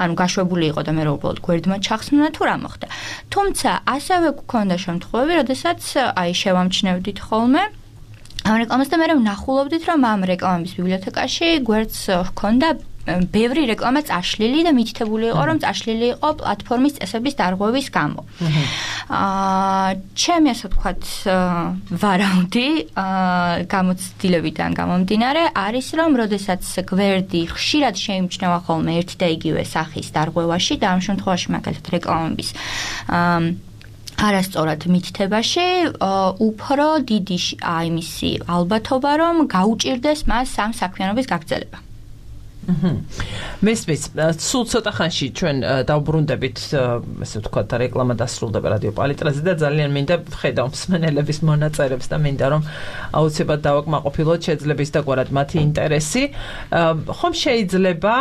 ანუ გაშვებული იყო და მე უბრალოდ გვერდმა ჩახსნა თუ რა მოხდა. თუმცა ასევე გქონდა შემთხვევები, როდესაც შევამჩნევდით ხოლმე ამ რეკლამას და მე ვნახულობდით, რომ ამ რეკლამების ბიბლიოთეკაში გვერდს ჰქონდა ბევრი რეკლამა წაშლილი და მითითებული იყო, რომ წაშლილი იყო პლატფორმის წესების დარღვევის გამო. ჩემი ასე ვთქვათ ვარაუდი გამოცდილებიდან გამომდინარე არის, რომ როდესაც გვერდი ხშირად შეიმჩნევა ხოლმე ერთი და იგივე სახის დარღვევაში და ამ შემთხვევაში მაგალითად რეკლამების არასწორად მითითებაში უფრო დიდი იმისი ალბათობა რომ გაუჭირდეს მას ამ საქმიანობის გაგრძელება. მესმის, სულ ცოტა ხანში ჩვენ დავბრუნდებით, ესე ვთქვათ, რეკლამა დასრულდება რადიო პალიტრაზე და ძალიან მინდა ვხედავ მსმენელების მონაწერებს და მინდა რომ აუცილებლად დავაკმაყოფილოთ შეძლებს და გვარად მათი ინტერესი. ხომ შეიძლება,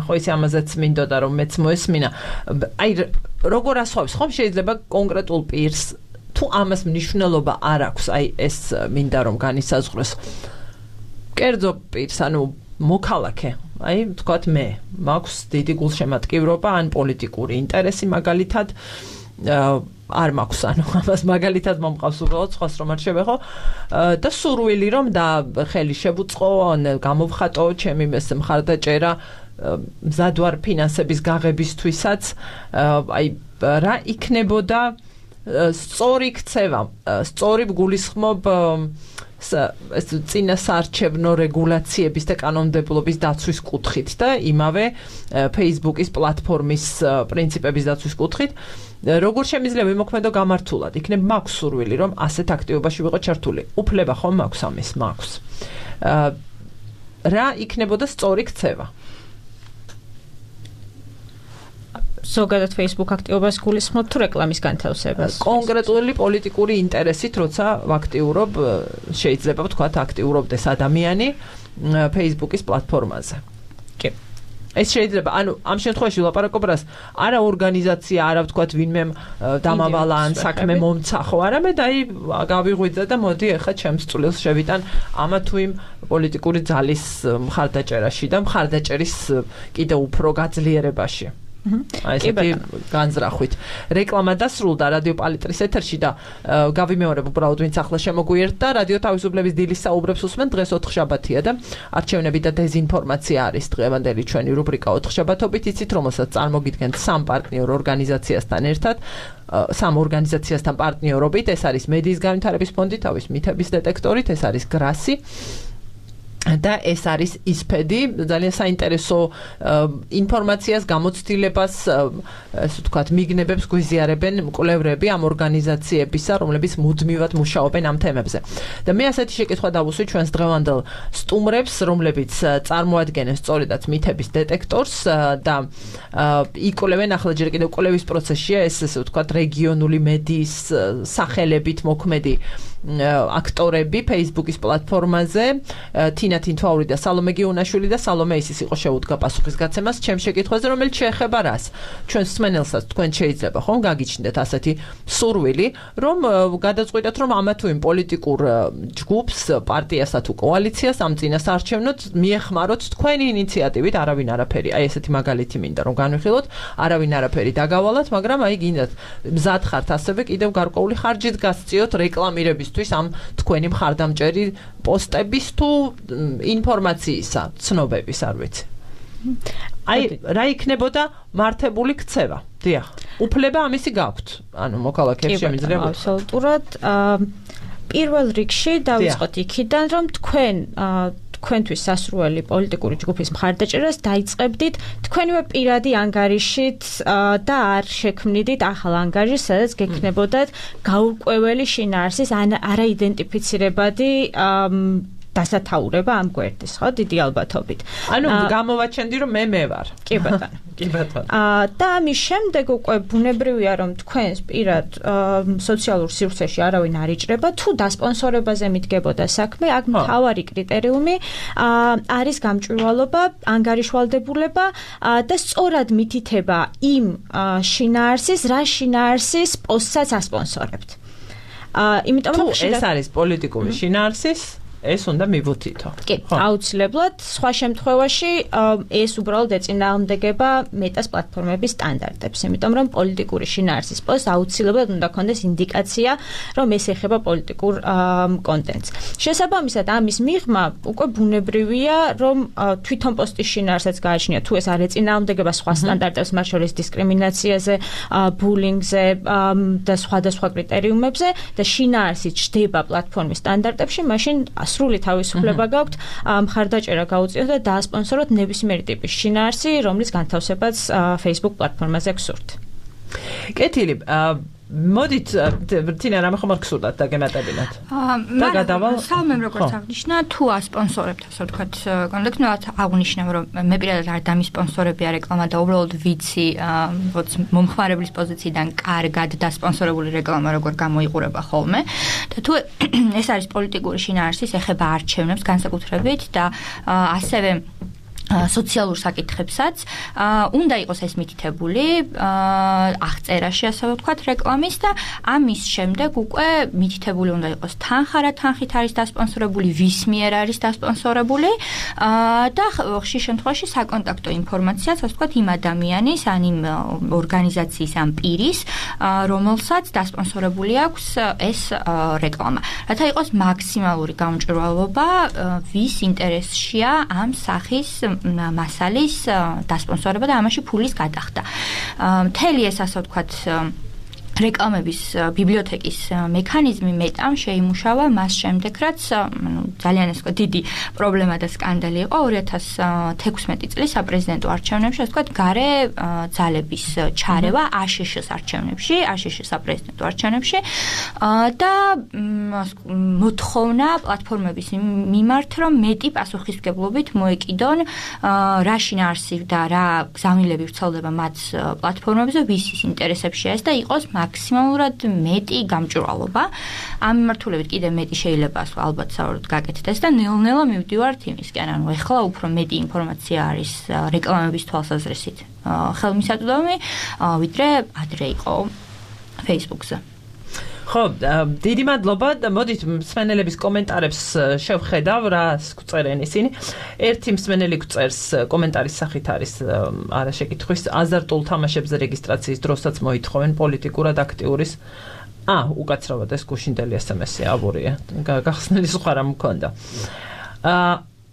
ხო ისი ამაზეც მინდოდა რომ მეც მოესმინა. აი როგორ ასხვავებს, ხომ შეიძლება კონკრეტულ პირს თუ ამას მნიშვნელობა არ აქვს, აი ეს მინდა რომ განისაზღვროს. კერძო პირს, ანუ მოქალაქე, აი, ვთქვათ მე, მაქვს დიდი გულშემატკივრობა ან პოლიტიკური ინტერესი მაგალითად, არ მაქვს, ანუ ამას მაგალითად მომყავს უბრალოდ სხვას რომ არ შევეხო და სურვილი რომ და ხელი შევუწყო, გამოვხატო ჩემი მხარდაჭერა მზად ვარ ფინანსების გაღებისთვისაც, აი, რა იქნებოდა სწორი ქცევა, სწორი გულისხმობ ეს წინასაარჩევნო რეგულაციების და კანონმდებლობის დაცვის კუთხით და იმავე Facebook-ის პლატფორმის პრინციპების დაცვის კუთხით როგორ შემიძლია ვიმოქმედო გამართულად იქნებ მაქვს სურვილი რომ ასეთ აქტივობაში ვიყო ჩართული უფლება ხომ მაქვს ამის მაქვს რა იქნებოდა სწორი ქცევა ზოგადად Facebook აქტივობას გულისხმობ თუ რეკლამის განთავსებას? კონკრეტული პოლიტიკური ინტერესით, როცა ვაქტიურობ, შეიძლება ვთქვათ, აქტიურობდეს ადამიანი Facebook-ის პლატფორმაზე. კი. ეს შეიძლება, ანუ ამ შემთხვევაში ვლაპარაკობ რას, არა ორგანიზაცია, არა ვთქვათ, ვინმე დამავალა ან საქმე მომცა ხო, არამედ აი გავიღვიძა და მოდი ახლა ჩემს წვლილს შევიტან ამა თუ იმ პოლიტიკური ძალის მხარდაჭერაში და მხარდაჭერის კიდევ უფრო გაძლიერებაში. აი ესეთი განზრახვით. რეკლამა დასრულდა რადიო პალიტრის ეთერში და გავიმეორებ უბრალოდ ვინც ახლა შემოგვიერთდა რადიო თავისუფლების დილის საუბრებს უსმენ დღეს 4 შაბათია და არჩევნები და დეზინფორმაცია არის დღევანდელი ჩვენი რუბრიკა 4 შაბათობით იცით რომელსაც წარმოგიდგენთ სამ პარტნიორ ორგანიზაციასთან ერთად სამ ორგანიზაციასთან პარტნიორობით ეს არის მედიის განვითარების ფონდი თავის მითების დეტექტორით ეს არის გრასი და ეს არის ისფედი ძალიან საინტერესო ინფორმაციას გამოცდილებას ასე ვთქვათ მიგნებებს გვიზიარებენ მკვლევრები ამ ორგანიზაციებისა რომლებიც მუდმივად მუშაობენ ამ თემებზე და მე ასეთი შეკითხვა დავუსვი ჩვენს დღევანდელ სტუმრებს რომლებიც წარმოადგენენ სწორედაც მითების დეტექტორს და იკვლევენ ახლა ჯერ კიდევ კვლევის პროცესშია ეს ასე ვთქვათ რეგიონული მედიის სახელებით მოქმედი აქტორები Facebook-ის პლატფორმაზე თინა თინთვაური და სალომე გიუნაშვილი და სალომე ისის იყო შეუდგა პასუხისგაცემას ჩემ შეკითხვაზე რომელიც შეეხება რას ჩვენ მსმენელსაც თქვენ შეიძლება ხომ გაგიჩნდეთ ასეთი სურვილი რომ გადაწყვიტეთ რომ ამა თუ იმ პოლიტიკურ ჯგუფს პარტიასა თუ კოალიციას ამ წინასაარჩევნოდ მიეხმაროთ თქვენი ინიციატივით არავინ არაფერი აი ესეთი მაგალითი მინდა რომ განვიხილოთ არავინ არაფერი დაგავალათ მაგრამ აი გინდათ მზად ხართ ასევე კიდევ გარკვეული ხარჯით გასწიოთ რეკლამირების ამ თქვენი მხარდამჭერი პოსტების თუ ინფორმაციისა, ცნობების, არ ვიცი. აი, რა იქნებოდა მართებული ქცევა? დიახ. უფლება ამისი გაქვთ. ანუ მოქალაქეებს შემიძლია. აბსოლუტურად. პირველ რიგში დავიწყოთ იქიდან, რომ თქვენთვის სასურველი პოლიტიკური ჯგუფის მხარდაჭერას დაიწყებდით თქვენივე პირადი ანგარიშით და არ შექმნიდით ახალ ანგარიშს, სადაც გექნებოდათ გაურკვეველი შინაარსის არაიდენტიფიცირებადი დასათაურება ამ გვერდის, ხო, დიდი ალბათობით. ანუ გამოვაჩენდი რომ მე ვარ. კი ბატონო. კი ბატონო. და ამის შემდეგ უკვე ბუნებრივია რომ თქვენს პირად სოციალურ სივრცეში არავინ არ იჭრება, თუ დასპონსორებაზე მიდგებოდა საქმე, აქ მთავარი კრიტერიუმი არის გამჭვირვალობა, ანგარიშვალდებულება და სწორად მითითება იმ შინაარსის, რა შინაარსის პოსტსაც ასპონსორებთ. იმიტომ რომ ეს არის პოლიტიკური შინაარსის ეს უნდა მივუთითო. კი, აუცილებლად, სხვა შემთხვევაში ეს უბრალოდ ეწინააღმდეგება მეტას პლატფორმების სტანდარტებს, იმიტომ რომ პოლიტიკური შინაარსის პოსტს აუცილებლად უნდა ქონდეს ინდიკაცია, რომ ეს ეხება პოლიტიკურ კონტენტს. შესაბამისად, ამის მიღმა უკვე ბუნებრივია, რომ თვითონ პოსტის შინაარსაც გააჩნია, თუ ეს არ ეწინააღმდეგება სხვა სტანდარტებს, მათ შორის დისკრიმინაციაზე, ბულინგზე და სხვადასხვა კრიტერიუმებზე და შინაარსი ჩდება პლატფორმის სტანდარტებში, მაშინ სრული თავისუფლება გაქვთ მხარდაჭერა გაუწიოთ და დაასპონსოროთ ნებისმიერი ტიპის შინაარსი, რომლის განთავსებაც Facebook პლატფორმაზე გსურთ. კეთილი, მოდით თინა რამე ხომ არ გსურდათ დაგემატებინათ და გადავალ სამემ როგორც აღნიშნა თუ ასპონსორებთ ასე ვთქვათ კონდექნულად აღნიშნავ რომ მე პირადად არ დამისპონსორებია რეკლამა და უბრალოდ ვიცი როგორც მომხმარებლის პოზიციიდან კარგად დასპონსორებული რეკლამა როგორ გამოიყურება ხოლმე და თუ ეს არის პოლიტიკური შინაარსის ეხება არჩევნებს განსაკუთრებით და ასევე სოციალურ საკითხებსაც უნდა იყოს ეს მითითებული აღწერაში ასე ვთქვათ რეკლამის და ამის შემდეგ უკვე მითითებული უნდა იყოს თანხა რა თანხით არის დასპონსორებული ვის მიერ არის დასპონსორებული და ხშირ შემთხვევაში საკონტაქტო ინფორმაციაც ასე ვთქვათ იმ ადამიანის ან იმ ორგანიზაციის ან პირის რომელსაც დასპონსორებული აქვს ეს რეკლამა რათა იყოს მაქსიმალური გამჭვირვალობა ვის ინტერესშია ამ სახის მასალის დასპონსორება და ამაში ფულის გადახდა. მთელი ეს ასე ვთქვათ რეკლამების ბიბლიოთეკის მექანიზმი მეტამ შეიმუშავა მას შემდეგ, რაც ძალიან ეს დიდი პრობლემა და სკანდალი იყო 2016 წლის საპრეზიდენტო არჩევნებში, ასე ვთქვათ, გარე ძალების ჩარევა აშშ-ის არჩევნებში, აშშ-ის საპრეზიდენტო არჩევნებში და მოთხოვნა პლატფორმების მიმართ, რომ მეტი პასუხისმგებლობით მოეკიდონ რა შინაარსი და რა გზავნილები ვრცელდება მათ პლატფორმებზე, ვისის ინტერესებშია ეს და იყოს მაქსიმალურად მეტი გამჭვირვალობა. ამ მიმართულებით კიდევ მეტი შეიძლება ალბათ საერთოდ გაკეთდეს და ნელ-ნელა მივდივართ იმისკენ, ანუ ეხლა უფრო მეტი ინფორმაცია არის რეკლამების თვალსაზრისით ხელმისაწვდომი, ვიდრე ადრე იყო Facebook-ზე. ხო, დიდი მადლობა. მოდით მსმენელების კომენტარებს შევხედავ, რას გვწერენ ისინი. ერთი მსმენელი გვწერს კომენტარის სახით არის არა შეკითხვის აზარტულ თამაშებზე რეგისტრაციის დროსაც მოითხოვენ პოლიტიკურად აქტიურის უკაცრავად ეს გუშინდელი SMS-ი აბურია. გახსნილი სხვა რამ მქონდა.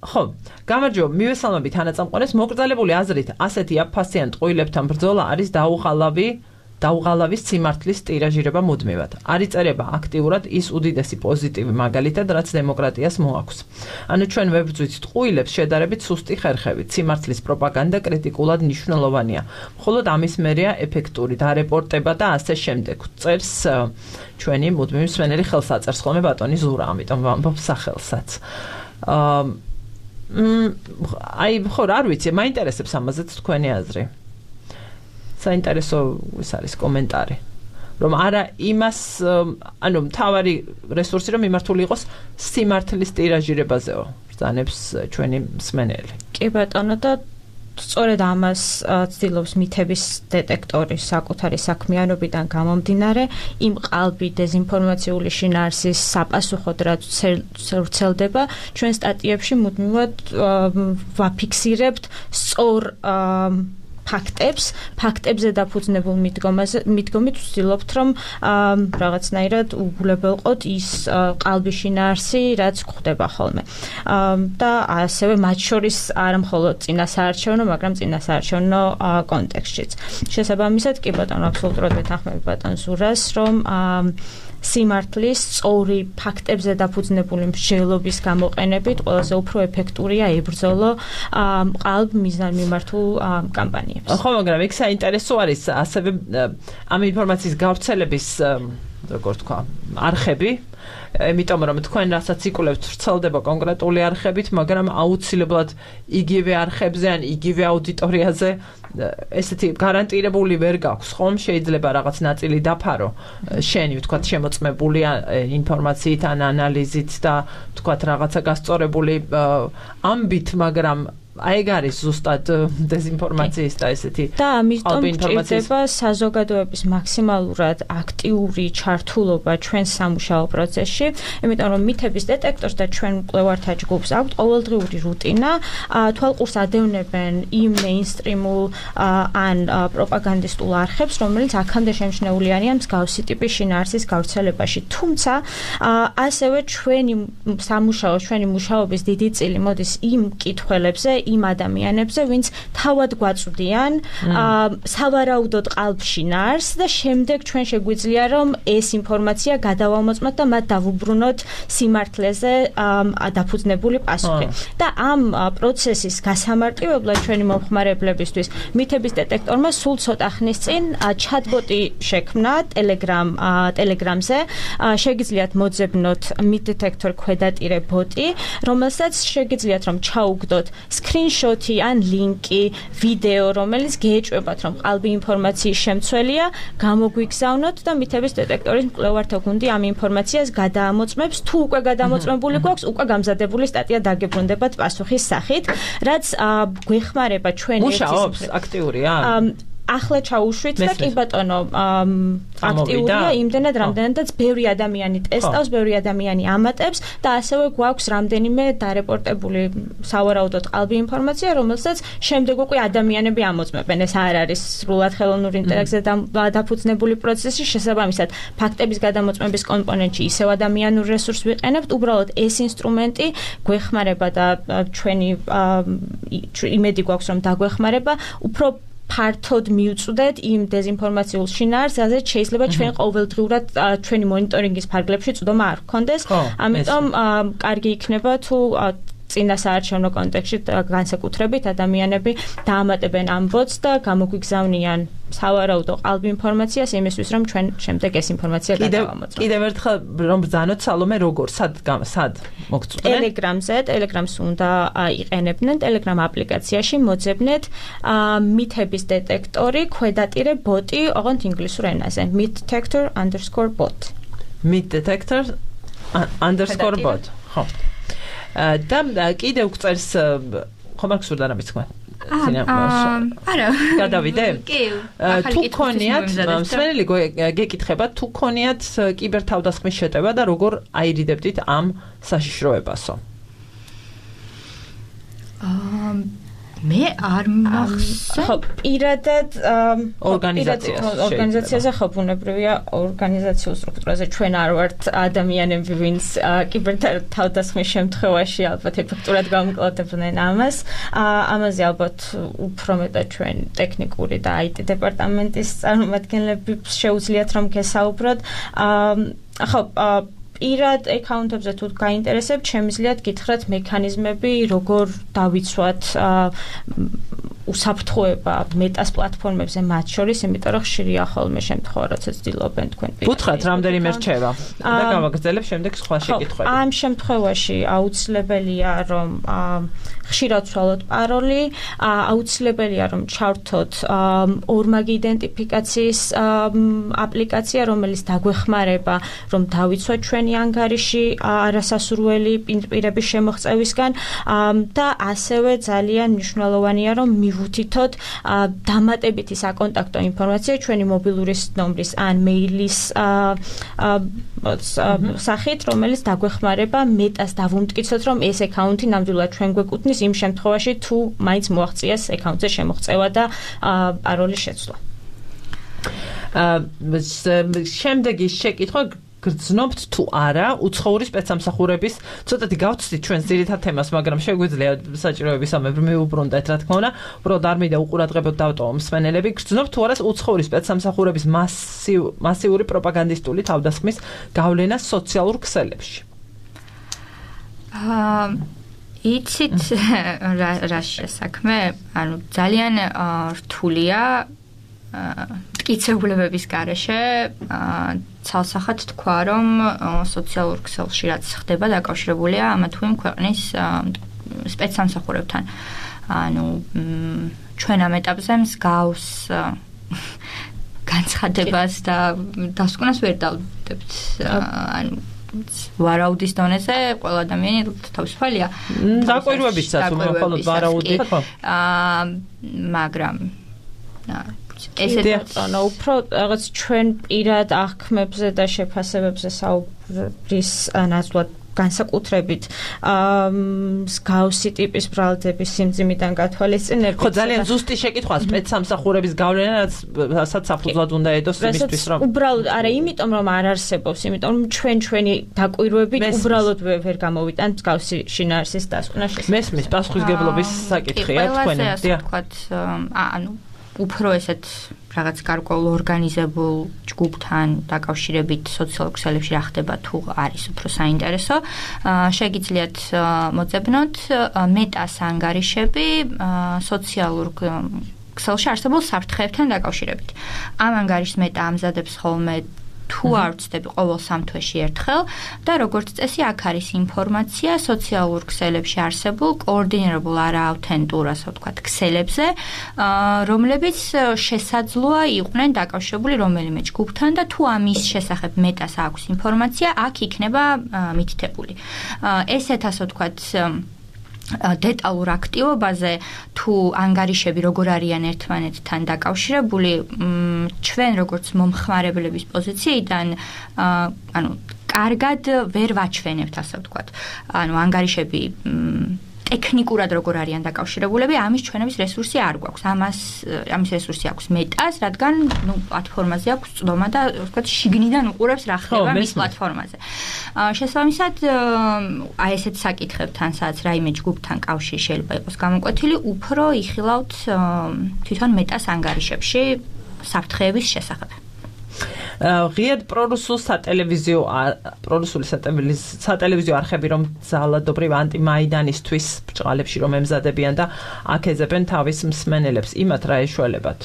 ხო, გამარჯობა, მივესალმებით თანაწამყვანებს. მოკრძალებული აზრით ასეთი აფასიან ტყუილებთან ბრძოლა არის დაუღალავის სიმართლის ტირაჟირება მუდმივად. არ იწერება აქტიურად ის უდიდესი პოზიტივი მაგალითად, რაც დემოკრატიას მოაქვს. ანუ ჩვენ ვებრძვით ტყუილებს შედარებით სუსტი ხერხებით. სიმართლის პროპაგანდა კრიტიკულად მნიშვნელოვანია. მხოლოდ ამის მერეა ეფექტური დარეპორტება და ასე შემდეგ. წერს ჩვენი მუდმივი მსმენელი ხელს აწერს ხოლმე ბატონი ზურა, ამიტომ ვამბობ სახელსაც. ხო, არ ვიცი, მაინტერესებს ამაზეც თქვენი აზრი. საინტერესო ის არის კომენტარი რომ არა იმას ანუ მთავარი რესურსი რომ მიმართული იყოს სიმართლის ტირაჟირებაზეო ბრძანებს ჩვენი მსმენელი. კი ბატონო და სწორედ ამას ცდილობს მითების დეტექტორი საკუთარი საქმიანობიდან გამომდინარე იმ ყალბი დეზინფორმაციული შინაარსის საპასუხოდ რაც ვრცელდება ჩვენ სტატიებში მუდმივად ვაფიქსირებთ სწორ ფაქტებზე დაფუძნებულ მიდგომით ვცდილობთ, რომ რაღაცნაირად უგულებელყოთ ის ყალბი შინაარსი, რაც გვხდება ხოლმე. და ასევე მათ შორის არა მხოლოდ წინასაარჩევნო, მაგრამ წინასაარჩევნო კონტექსტშიც. შესაბამისად, კი ბატონო, აბსოლუტურად ვეთანხმები ბატონ ზურას, რომ სიმართლის სწორი ფაქტებზე დაფუძნებული მსჯელობის გამოყენებით ყველაზე უფრო ეფექტურია ებრძოლო ყალბ მიზანმიმართულ კამპანიებს. ხო, მაგრამ იქ საინტერესო არის ასევე ამ ინფორმაციის გავრცელების როგორ თქვა, არხები, იმიტომ რომ თქვენ რასაც იკვლევთ ვრცელდება კონკრეტული არხებით, მაგრამ აუცილებლად იგივე არხებზე ან იგივე აუდიტორიაზე ესეთი გარანტირებული ვერ გაქვს, ხომ? შეიძლება რაღაც ნაწილი დაფარო შენი, ვთქვათ, შემოწმებული ინფორმაციით ან ანალიზით და ვთქვათ რაღაცა გასწორებული ამბით, მაგრამ აი ეგ არის ზუსტად დეზინფორმაციის და ესეთი და ამიტომ ჭირდება საზოგადოების მაქსიმალურად აქტიური ჩართულობა ჩვენ სამუშაო პროცესში, იმიტომ რომ მითების დეტექტორს და ჩვენ მკვლევართა ჯგუფს აქვთ ყოველდღიური რუტინა, თვალყურს ადევნებენ იმ მეინსტრიმულ ან პროპაგანდისტულ არხებს, რომელიც აქამდე შემჩნეული არიან მსგავსი ტიპის შინაარსის გავრცელებაში. თუმცა ასევე ჩვენი სამუშაო, ჩვენი მუშაობის დიდი წილი მოდის იმ კითხვებზე, იმ ადამიანებზე, ვინც თავად გვაწვდიან სავარაუდოდ ყალბში ნარს და შემდეგ ჩვენ შეგვიძლია რომ ეს ინფორმაცია გადავამოწმოთ და მათ დავუბრუნოთ სიმართლეზე დაფუძნებული პასუხი. და ამ პროცესის გასამარტივებლად ჩვენი მომხმარებლებისთვის მითების დეტექტორმა სულ ცოტა ხნის წინ ჩატბოტი შექმნა Telegram-ზე. შეგიძლიათ მოძებნოთ მიდეტექტორ ქვედატირე ბოტი, რომელსაც შეგიძლიათ რომ ჩაუგდოთ სკრინშოტი ან ლინკი, ვიდეო, რომელიც გეეჭვებათ რომ ყალბი ინფორმაციის შემცველია, გამოგვიგზავნოთ და მითების დეტექტორის მკვლევართა გუნდი ამ ინფორმაციას გადაამოწმებს. თუ უკვე გადამოწმებული გვაქვს, უკვე გამზადებული სტატია დაგებრუნდებათ პასუხის სახით, რაც გვეხმარება ჩვენი მუშაობს აქტიურია. ახლა ჩაუშვით და კი ბატონო აქტიურია იმდენად რამდენადაც ბევრი ადამიანი ტესტავს, ბევრი ადამიანი ამატებს და ასევე გვაქვს რამდენიმე დარეპორტებული სავარაუდოდ ყალბი ინფორმაცია, რომელსაც შემდეგ უკვე ადამიანები ამოწმებენ. ეს არ არის სრულად ხელოვნური ინტერაქცია დაფუძნებული პროცესი, შესაბამისად ფაქტების გადამოწმების კომპონენტში ისევ ადამიანურ რესურსს ვიყენებთ, უბრალოდ ეს ინსტრუმენტი გვეხმარება და ჩვენი იმედი გვაქვს რომ დაგვეხმარება, უფრო ფართოდ მივწვდეთ იმ დეზინფორმაციულ შინაარსს, რაზეც შეიძლება ჩვენ ყოველდღიურად ჩვენი მონიტორინგის ფარგლებში წვდომა არ გქონდეს. ამიტომ კარგი იქნება თუ წინა საარჩევნო კონტექსტში განსაკუთრებით ადამიანები დაამატებენ ამ ბოტს და გამოგვიგზავნიან სავარაუდო ყალბი ინფორმაციას იმისთვის, რომ ჩვენ შემდეგ ეს ინფორმაცია გადავამოწმოთ. კიდევ ერთხელ რომ ბრძანოთ სალომე როგორ სად მოგწვდნენ? Telegram-ზე, Telegram-ს უნდა იყენებდნენ, Telegram აპლიკაციაში მოძებნეთ მითების დეტექტორი, ქვედატირე ბოტი, ოღონდ ინგლისურ ენაზე. myth_detector_bot. myth_detector_bot. ხო. და კიდევ გწერს ხომ არ გსურდა რამის თქვა? არა. გადავიდე? კი. თუ ქონიათ, მსმენელი გეკითხება, თუ ქონიათ კიბერთავდასხმის შეტევა და როგორ აირიდებდით ამ საშიშროებასო? მე არ მახსოვს. ხო, პირადად ორგანიზაციაზე ხო ბუნებრივია ორგანიზაციულ სტრუქტურაზე ჩვენ არ ვართ ადამიანები, ვინც კიბერთავდასხმის შემთხვევაში ალბათ ეფექტურად გამკლავდებდნენ ამას. ამაზე ალბათ უფრო მეტად ჩვენ ტექნიკური და IT დეპარტამენტის წარმომადგენლები შეუძლიათ რომ გესაუბროთ. ხო, პირად აკაუნტებზე თუ გაინტერესებთ, შემიძლიათ გითხრათ მექანიზმები, როგორ დავიცვათ უსაფრთხოება მეტას პლატფორმებზე მათ შორის, იმიტომ რომ ხშირია ხოლმე შემთხვევა, როდესაც ცდილობენ თქვენ გითხრათ რამდენიმე რჩევა და გავაგრძელებ შემდეგ სხვა შეკითხვები. ამ შემთხვევაში აუცილებელია რომ ხშირად ვცვალოთ პაროლი, აუცილებელია რომ ჩავრთოთ ორმაგი იდენტიფიკაციის აპლიკაცია, რომელიც დაგვეხმარება რომ დავიცვათ ჩვენი ანგარიში არასასურველი პირების შემოღწევისგან და ასევე ძალიან მნიშვნელოვანია რომ მივუთითოთ დამატებითი საკონტაქტო ინფორმაცია ჩვენი მობილური ნომრის ან მეილის სახით, რომელიც დაგვეხმარება მეტას დავუმტკიცოთ, რომ ეს აკაუნტი ნამდვილად ჩვენ გვეკუთვნის იმ შემთხვევაში, თუ მაინც მოაღწიეს აკაუნტზე შემოღწევა და პაროლის შეცვლა. შემდეგი შეკითხვა გრძნობთ თუ არა უცხოური სპეცსამსახურების ცოტათი გავცდით ჩვენ ძირითად თემას, მაგრამ შეგვიძლია საჭიროებისამებრ მივუბრუნდეთ, რა თქმა უნდა, უბრალოდ არ მინდა უყურადღებოდ დავტოვო მსმენელები. გრძნობთ თუ არა უცხოური სპეცსამსახურების მასიური პროპაგანდისტული თავდასხმის გავლენა სოციალურ ქსელებში? იცით რა საქმე? ანუ ძალიან რთულია მტკიცებულებების გარეშე ცალსახად თქვა, რომ სოციალურ ქსელში რაც ხდება დაკავშირებულია ამა თუ იმ ქვეყნის სპეცსამსახურებთან. ანუ ჩვენ ამ ეტაპზე მსგავს განცხადებას და დასკვნას ვერ დავდებთ. ანუ ვარაუდის დონეზე ყველა ადამიანი თავისუფალია. დაკვირვებისაც მხოლოდ ვარაუდი ხო? მაგრამ ესეც უფრო რაღაც ჩვენ პირად აღქმებზე და შეფასებებზე საუბრის ნაცვლად განსაკუთრებით მსგავსი ტიპის ბრალდების სიმძიმიდან გათვალისწინებით. ხო, ძალიან ზუსტი შეკითხვა სპეცსამსახურების გავლენა, რასაც საფუძვლად უნდა ედოს იმისთვის, რომ უბრალოდ არა, იმიტომ რომ არ არსებობს, იმიტომ რომ ჩვენი დაკვირვებით უბრალოდ ვერ გამოვიტანთ მსგავსი შინაარსის დასკვნა შესაძლებელი. მესმის პასუხისგებლობის საკითხია თქვენი. დიახ, თქვათ, ანუ უფრო ესეთ რაღაც გარკვეულ ორგანიზებულ ჯგუფთან დაკავშირებით სოციალურ ქსელებში რა ხდება თუ არის უფრო საინტერესო. შეგიძლიათ მოძებნოთ მეტას ანგარიშები სოციალურ ქსელში არსებულ საფრთხეებთან დაკავშირებით. ამ ანგარიშს მეტა ამზადებს ხოლმე თუ არ ვცდები ყოველ 3 თვეში ერთხელ და როგორც წესი აქ არის ინფორმაცია სოციალურ ქსელებში არსებულ კოორდინირებულ არაავთენტურ, ასე ვთქვათ, ქსელებზე, რომლებიც შესაძლოა იყვნენ დაკავშირებული რომელიმე ჯგუფთან და თუ ამის შესახებ მეტას აქვს ინფორმაცია, აქ იქნება მითითებული. ესეთ, ასე ვთქვათ, დეტალურ აქტივობაზე თუ ანგარიშები როგორ არიან ერთმანეთთან დაკავშირებული, ჩვენ როგორც მომხმარებლების პოზიციიდან, ანუ კარგად ვერ ვაჩვენებთ, ასე ვთქვათ. ანუ ანგარიშები ტექნიკურად როგორ არიან დაკავშირებულები, ამის ჩვენების რესურსი არ გვაქვს. ამის რესურსი აქვს მეტას, რადგან პლატფორმაზე აქვს წვდომა და ვთქვათ შიგნიდან უყურებს რა ხდება მის პლატფორმაზე. შესაბამისად, აი ესეთ საკითხებთან, სადაც რაიმე ჯგუფთან კავშირი შეიძლება იყოს გამოკვეთილი, უფრო იხილავთ თვითონ მეტას ანგარიშებში საფრთხეების შესახებ. ღიად პრორუსული სატელევიზიო არხები, რომ ძალადობრივ ანტიმაიდანისთვის ბრჭყალებში რომ ემზადებიან და აკეძებენ თავის მსმენელებს, იმათ რა ეშველებათ?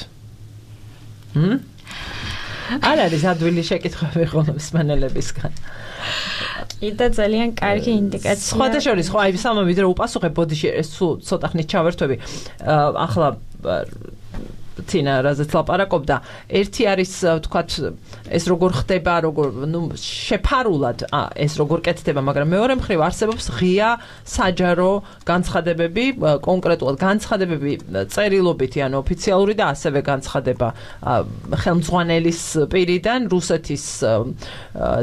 არ არის ადვილი შეკითხვები ხოლმე მსმენელებისგან. კიდე ძალიან კარგი ინდიკაცია. სხვადასხვა, ხო, აი სამ ვიდრე უპასუხებ, ბოდიში ეს ცოტა ხნით ჩავერთვები. ახლა ცინა რაზეც ლაპარაკობდა, ერთი არის ვთქვათ ეს როგორ ხდება, როგორ შეფარულად ეს როგორ კეთდება, მაგრამ მეორე მხრივ არსებობს ღია საჯარო განცხადებები, კონკრეტულად განცხადებები წერილობითი, ანუ ოფიციალური და ასევე განცხადება ხელმძღვანელის პირიდან რუსეთის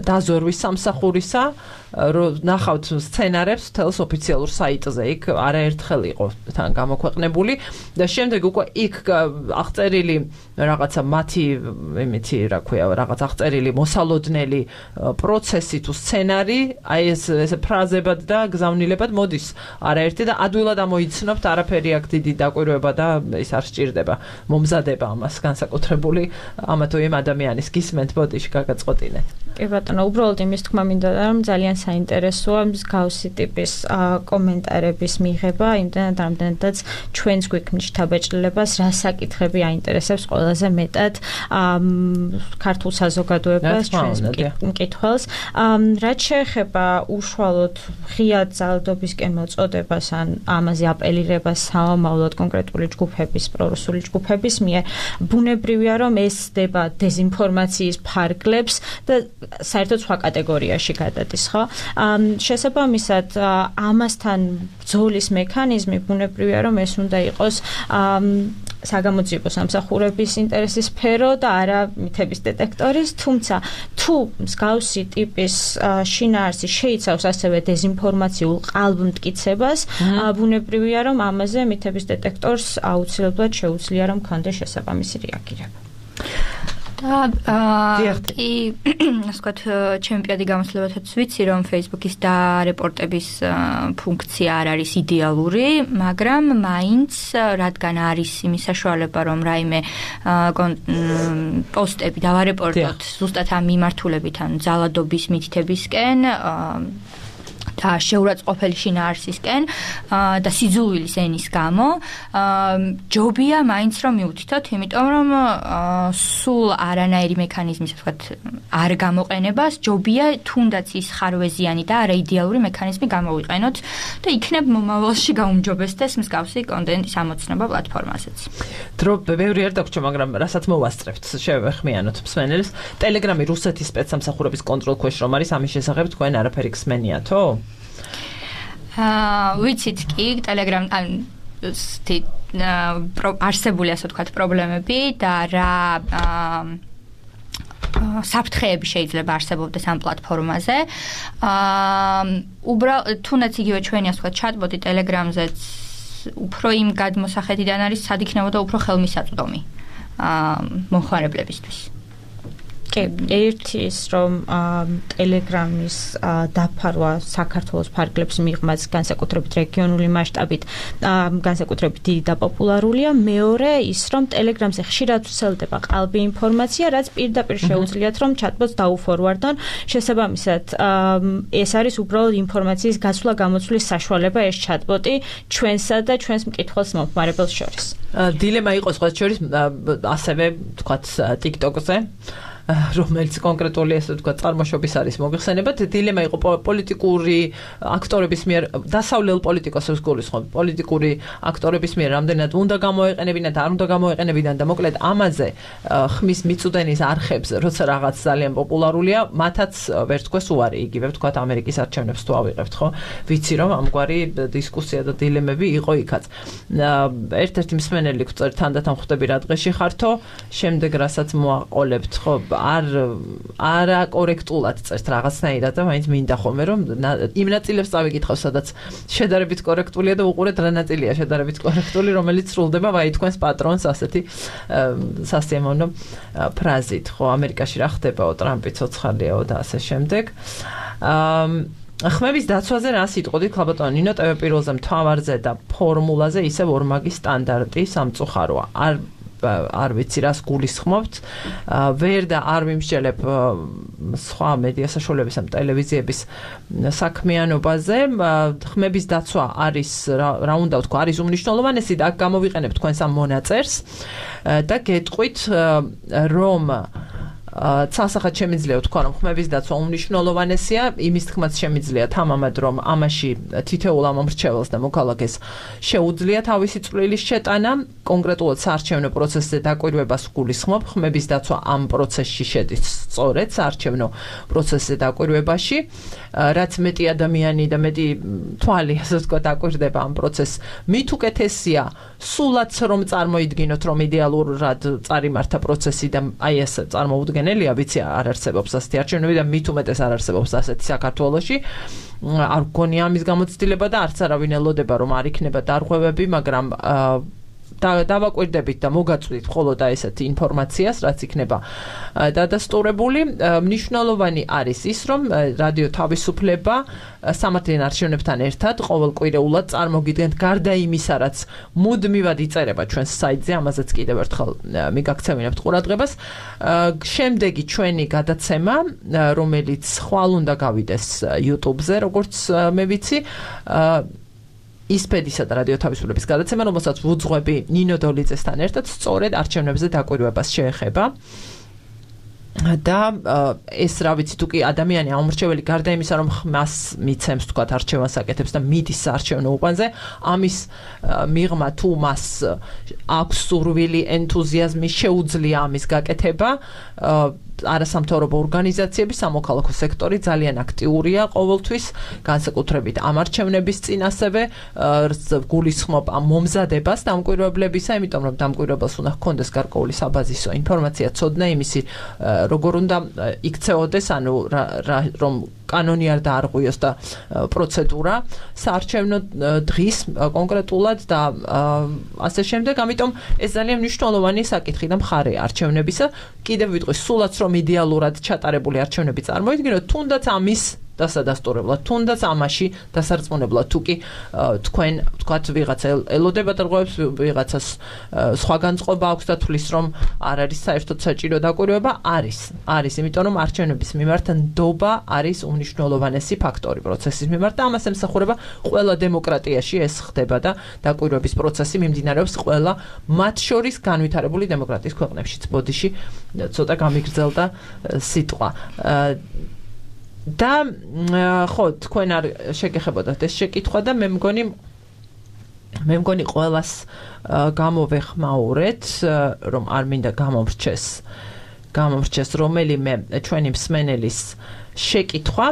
დაზორვის სამსახურისა, ნახავთ სცენარებს თელს ოფიციალურ საიტზე, იქ არაერთხელ იყო თან გამოქვეყნებული და შემდეგ უკვე იქ აღწერილი რაღაცა მათი იმითი რა ქვია, რაღაც აღწერილი მოსალოდნელი პროცესი თუ სცენარი, აი ეს ფრაზებად და გზავნილებად მოდის არაერთი და ადვილად ამოიცნობთ, არაფერი აქ დიდი დაკვირვება და ის არ სჭირდება მომზადება ამას განსაკუთრებული ამა თუ იმ ადამიანის გისმენთ ბოდიში გაგაწყვეტინეთ. კი ბატონო, უბრალოდ იმის თქმა მინდა რომ ძალიან საინტერესოა მსგავსი ტიპის კომენტარების მიღება, იმდენად რამდენადაც ჩვენს გვიქმნის შთაბეჭდილებას რა საკითხები აინტერესებს ყველაზე მეტად ქართულ საზოგადოებას, ჩვენს მკითხველს. რაც შეეხება უშუალოდ ღიად ძალადობისკენ მოწოდებას ან ამაზე აპელირებას სამომავლოდ კონკრეტული ჯგუფების, პრორუსული ჯგუფების მიერ, ბუნებრივია რომ ეს ხდება დეზინფორმაციის ფარგლებს და საერთოდ სხვა კატეგორიაში გადადის, ხო? შესაბამისად, ამასთან ბრძოლის მექანიზმი ბუნებრივია რომ ეს უნდა იყოს საგამოძიებო სამსახურების ინტერესის სფერო და არა მითების დეტექტორის, თუმცა თუ მსგავსი ტიპის შინაარსი შეიცავს ასევე დეზინფორმაციულ ყალბმტკიცებას, ბუნებრივია რომ ამაზე მითების დეტექტორს აუცილებლად შეუძლია რომ ქონდეს შესაბამისი რეაგირება. და კი, ასე ვთქვათ, ჩემპიონატი გამოსლებათაც ვიცი, რომ Facebook-ის დარეპორტების ფუნქცია არ არის იდეალური, მაგრამ მაინც რადგან არის იმის საშუალება, რომ რაიმე პოსტები დავარეპორტოთ ზუსტად ამ მიმართულებით, ან ძალადობის მითითებისკენ და შეურაცხყოფელი შინაარსისკენ და სიძულვილის ენის გამო ჯობია მაინც რომ მივუთითოთ, იმიტომ რომ სულ არანაირი მექანიზმის, ვთქვათ, არ გამოყენებას ჯობია თუნდაც ის ხარვეზიანი და არაიდეალური მექანიზმი გამოვიყენოთ და იქნებ მომავალში გაუმჯობესდეს მსგავსი კონტენტის ამოცნობა პლატფორმაზეც. დრო ბევრი არ დაგვრჩა, მაგრამ რასაც მოვასწრებთ, შევეხმიანოთ მსმენელს. ტელეგრამი რუსეთის სპეცსამსახურების კონტროლ ქვეშ რომ არის, ამის შესახებ თქვენ არაფერი გსმენიათო? ვიცით კი, ტელეგრამ არსებული, ასე ვთქვათ, პრობლემები და რა საფრთხეები შეიძლება არსებობდეს ამ პლატფორმაზე. თუნდაც იგივე ჩვენი ასე ვთქვათ ჩატბოტი Telegram-ზეც უფრო იმ გადმოსახედიდან არის, სად იქნებოდა უფრო ხელმისაწვდომი მომხმარებლებისთვის. ერთი ის რომ Telegram-ის დაფარვა საქართველოს ფარგლებს მიღმაც განსაკუთრებით რეგიონული მასშტაბით განსაკუთრებით დიდი და პოპულარულია. მეორე ის რომ Telegram-ზე ხშირად ვრცელდება ყალბი ინფორმაცია, რაც პირდაპირ შეუძლიათ რომ chatbots დაუფორვარდონ. შესაბამისად ეს არის უბრალოდ ინფორმაციის გასვლა-გამოცვლის საშუალება ეს chatbot-ი ჩვენსა და ჩვენს მკითხველს მომხმარებელს შორის. დილემა იყო სხვა შორის ასევე თქვათ TikTok-ზე რომელიც კონკრეტული ასე ვთქვათ წარმოშობის არის მოგხსენებათ დილემა იყო პოლიტიკური აქტორების მიერ დასავლელ პოლიტიკოსებს გულისხმობ პოლიტიკური აქტორების მიერ რამდენად უნდა გამოეყენებინათ არ უნდა გამოეყენებინათ და მოკლედ ამაზე ხმის მიწვდენის არხებს როცა რაღაც ძალიან პოპულარულია მათაც ვერ თქვეს უარი იგივე ვთქვათ ამერიკის არჩევნებს თუ ავიღებთ ხო ვიცი რომ ამგვარი დისკუსია და დილემები იყო იქაც ერთ-ერთი მსმენელი გვწერთ თანდათან ხვდები რა დღეში ხართო შემდეგ რასაც მოაყოლებთ ხო არა კორექტულად წერთ რაღაცნაირად და მაინც მინდა ხოლმე რომ იმ ნაწილებს წავიკითხავ სადაც შედარებით კორექტულია და უყურეთ რა ნაწილია შედარებით კორექტული რომელიც სრულდება ვაი თქვენს პატრონს ასეთი სასიამოვნო ფრაზით ხო ამერიკაში რა ხდებაო ტრამპი ცოცხალიაო და ასე შემდეგ ხმების დაცვაზე რა სიტყოდით ქალბატონო ნინო ტv პირველზე მთავარზე და ფორმულაზე ისევ ორმაგი სტანდარტი სამწუხაროა არ ვიცი რას გულისხმობთ ვერ და არ ვიმსჯელებ სხვა მედია საშუალებისა ტელევიზიების საქმიანობაზე ხმების დაცვა არის რა უნდა ვთქვა არის უმნიშვნელოვანესი და აქ გამოვიყენებ თქვენს ამ მონაწერს და გეტყვით რომ ცალსახად შემიძლია ვთქვა რომ ხმების დაცვა უმნიშვნელოვანესია იმის თქმაც შემიძლია თამამად რომ ამაში თითოეულ ამომრჩეველს და მოქალაქეს შეუძლია თავისი წვლილის შეტანა კონკრეტულად საარჩევნო პროცესზე დაკვირვებას გულისხმობ ხმების დაცვა ამ პროცესში შედის სწორედ საარჩევნო პროცესზე დაკვირვებაში რაც მეტი ადამიანი და მეტი თვალი ასე ვთქვა დაკვირდება ამ პროცესს მით უკეთესია სულაც რომ წარმოიდგინოთ რომ იდეალურად წარიმართა პროცესი და აი ეს წარმოუდგენელია ვიცი არ არსებობს ასეთი არჩევნები და მით უმეტეს არ არსებობს ასეთი საქართველოში არ გქონია ამის გამოცდილება და არც არავინ ელოდება რომ არ იქნება დარღვევები მაგრამ დავაკვირდებით და მოგაწვით მხოლოდ ესეთი ინფორმაციას რაც იქნება დადასტურებული მნიშვნელოვანი არის ის რომ რადიო თავისუფლება სამართლიან არჩევნებთან ერთად ყოველკვირეულად წარმოგიდგენთ გარდა იმისა რაც მუდმივად იწერება ჩვენს საიტზე ამაზეც კიდევ ერთხელ მიგაქცევინებთ ყურადღებას შემდეგი ჩვენი გადაცემა რომელიც ხვალ უნდა გავიდეს YouTube-ზე როგორც მე ვიცი ისპედისა და რადიო თავისუფლების გადაცემა, რომელსაც ვუძღვები ნინო დოლიძესთან ერთად სწორედ არჩევნებზე დაკვირვებას შეეხება. და ეს რა ვიცი თუ კი ადამიანი ამორჩეველი გარდა იმისა რომ მას მიცემს თქვათ არჩევანს აკეთებს და მიდის საარჩევნო უბანზე ამის მიღმა თუ მას აქვს სურვილი ენთუზიაზმი შეუძლია ამის გაკეთება არასამთავრობო ორგანიზაციები სამოქალაქო სექტორი ძალიან აქტიურია ყოველთვის განსაკუთრებით ამ არჩევნების წინ ასევე გულისხმობ ამ მომზადებას დამკვირვებლებისა იმიტომ რომ დამკვირვებელს უნდა ჰქონდეს გარკვეული საბაზისო ინფორმაცია ცოდნა იმისი როგორ უნდა იქცეოდეს ანუ რომ კანონი არ დაარღვიოს და პროცედურა საარჩევნო დღის კონკრეტულად და ასე შემდეგ ამიტომ ეს ძალიან მნიშვნელოვანი საკითხი და მხარეა არჩევნებისა კიდევ ვიტყვი სულაც რომ იდეალურად ჩატარებული არჩევნები წარმოიდგინოთ თუნდაც ამის დასადასტურებლად თუნდაც ამაში დასარწმუნებლად თუ კი თქვენ თქვათ ვიღაცა ელოდება დარღვევებს ვიღაცას სხვა განწყობა აქვს და თulis რომ არ არის საერთოდ საჭირო დაკვირვება არის იმიტომ რომ არჩევნების მიმართ ნდობა არის უმნიშვნელოვანესი ფაქტორი პროცესის მიმართ და ამას ემსახურება ყველა დემოკრატიაში ეს ხდება და დაკვირვების პროცესი მიმდინარეობს ყველა მათ შორის განვითარებული დემოკრატიის ქვეყნებშიც ბოდიში ცოტა გამიგრძელდა სიტყვა და ხო თქვენ არ შეგეხებოდათ ეს შეკითხვა და მე მგონი ყველას გამოვეხმაურეთ რომ არ მინდა გამომრჩეს რომელიმე ჩვენი მსმენელის შეკითხვა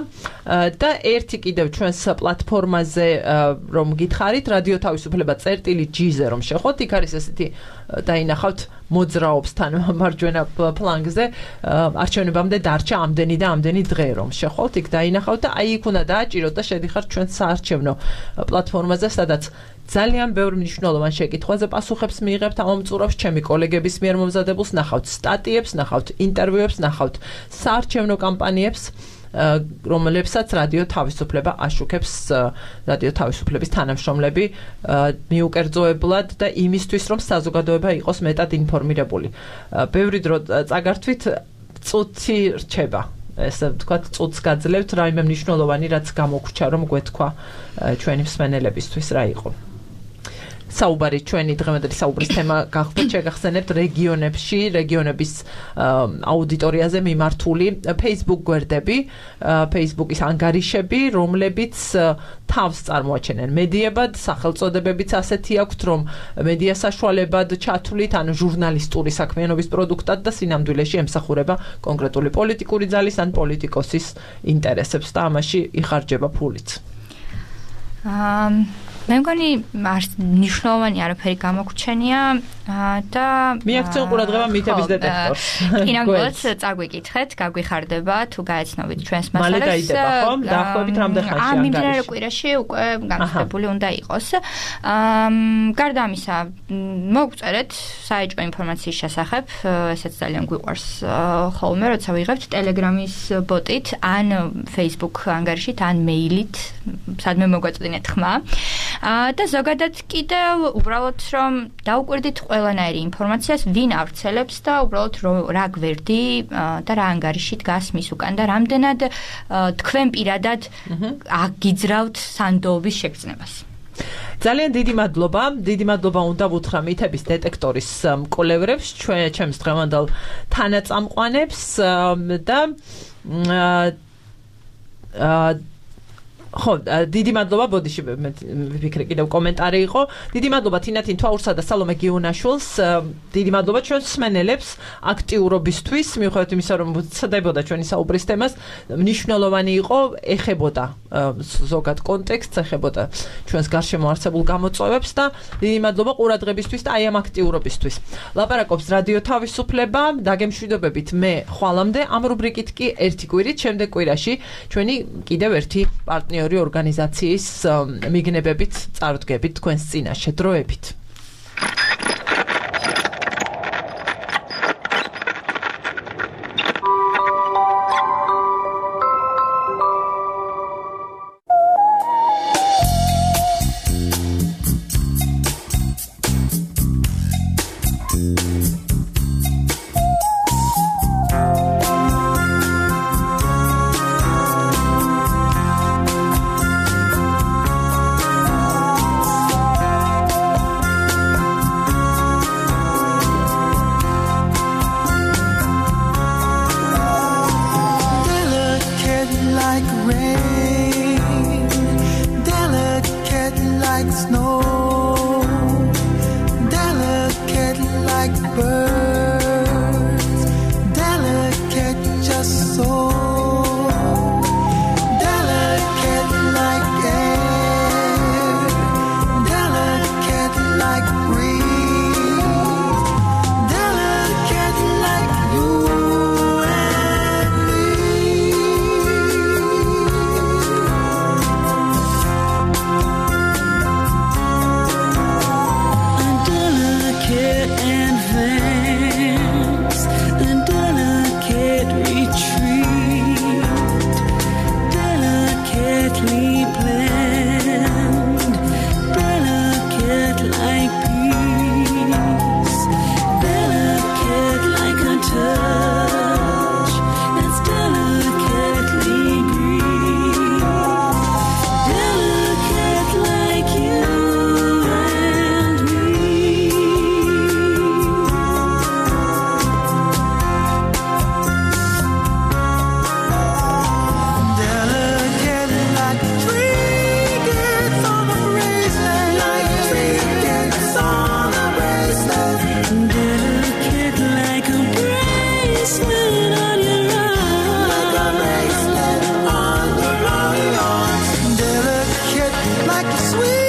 და ერთი კიდევ ჩვენს პლატფორმაზე რომ გითხარით რადიო თავისუფლება.gr-ზე რომ შეხოთ, იქ არის ესეთი დაინახავთ მოძრაობს თან მარჯვენა ფლანგზე არჩევნებამდე დარჩა ამდენი და ამდენი დღე რომ შეხოთ, იქ დაინახავთ და აი იქ უნდა დააჭიროთ და შედიხართ ჩვენ საარჩევნო პლატფორმაზე, სადაც ძალიან ბევრი მნიშვნელოვან შეკითხვაზე პასუხებს მიიღებთ ამ მომწურავს ჩემი კოლეგების მიერ მომზადებულს, ნახავთ სტატიებს, ნახავთ ინტერვიუებს, ნახავთ საარჩევნო კამპანიებს, რომლებსაც რადიო თავისუფლება აშუქებს რადიო თავისუფლების თანამშრომლები მიუკერძოებლად და იმისთვის, რომ საზოგადოება იყოს მეტად ინფორმირებული. ბევრი დრო წაგართვით წუთი რჩება. ესე ვთქვათ, წუთს გაძლევთ რაიმე მნიშვნელოვანი, რაც გამოგვრჩა, რომ გვეთქვა ჩვენი მსმენელებისთვის რა იყო. საუბარი ჩვენი დღევანდელი საუბრის თემა გახლდათ შეგახსენებთ რეგიონებში, რეგიონების აუდიტორიაზე მიმართული Facebook გვერდები, Facebook-ის ანგარიშები, რომლებიც თავს წარმოაჩენენ მედიებად, სახელწოდებებიც ასეთი აქვთ, რომ მედია საშუალებად ჩათვლით, ანუ ჟურნალისტური საქმიანობის პროდუქტად და სინამდვილეში ემსახურება კონკრეტული პოლიტიკური ძალის ან პოლიტიკოსის ინტერესებს და ამაში იხარჯება ფულიც. მე მგონი მნიშვნელოვანი არაფერი გამოგვჩენია და მიაქცენ ყურადღება მითების დეტექტორს. კინოგოლს წაგვიკითხეთ, გაგვიხარდება თუ გაეცნობით ჩვენს მასალას. მალე დაიდება ხომ? დაახლოებით რამდენ ხანში ანგარიში? მიმდინარე კვირაში უკვე გამოსდებული უნდა იყოს. გარდა ამისა, მოგწერეთ საეჭვო ინფორმაციის შესახებ, ესეც ძალიან გვიყვარს ხოლმე, როცა ვიღებთ Telegram-ის ბოტით, ან Facebook ანგარიშით, ან მეილით, სადმე მოგვაწვდინეთ ხმა. და ზოგადად კიდევ უბრალოდ რომ დაუკვირდით ყველანაირი ინფორმაციას, ვინ ავრცელებს და უბრალოდ რა გვერდი და რა ანგარიში დგას მის უკან და რამდენად თქვენ პირადად აგიძრავთ სანდოობის შეგრძნებას. ძალიან დიდი მადლობა უნდა ვუთხრა მითების დეტექტორის მკვლევრებს, ჩემს დღევანდელ თანაწამყვანებს და ხო, დიდი მადლობა, ბოდიში ვიფიქრე კიდევ კომენტარი იყო. დიდი მადლობა თინათინ თვაურსა და სალომე გიუნაშვილს. დიდი მადლობა ჩვენს მსმენელებს აქტიურობისთვის, მიუხედავად იმისა, რომ ვცდებოდა ჩვენი საუბრის თემას, მნიშვნელოვანი იყო, ეხებოდა ზოგად კონტექსტს, ეხებოდა ჩვენს გარშემო არსებულ გამოწვევებს და დიდი მადლობა ყურადღებისთვის და აი ამ აქტიურობისთვის. ლაპარაკობს რადიო თავისუფლება, დაგემშვიდობებით მე ხვალამდე, ამ რუბრიკით კი ერთი კვირით, შემდეგ კვირაში ჩვენი კიდევ ერთი პარტნიორი ორგანიზაციის მიგნებებით წარდგებით თქვენს წინაშე დროებით. like a sweet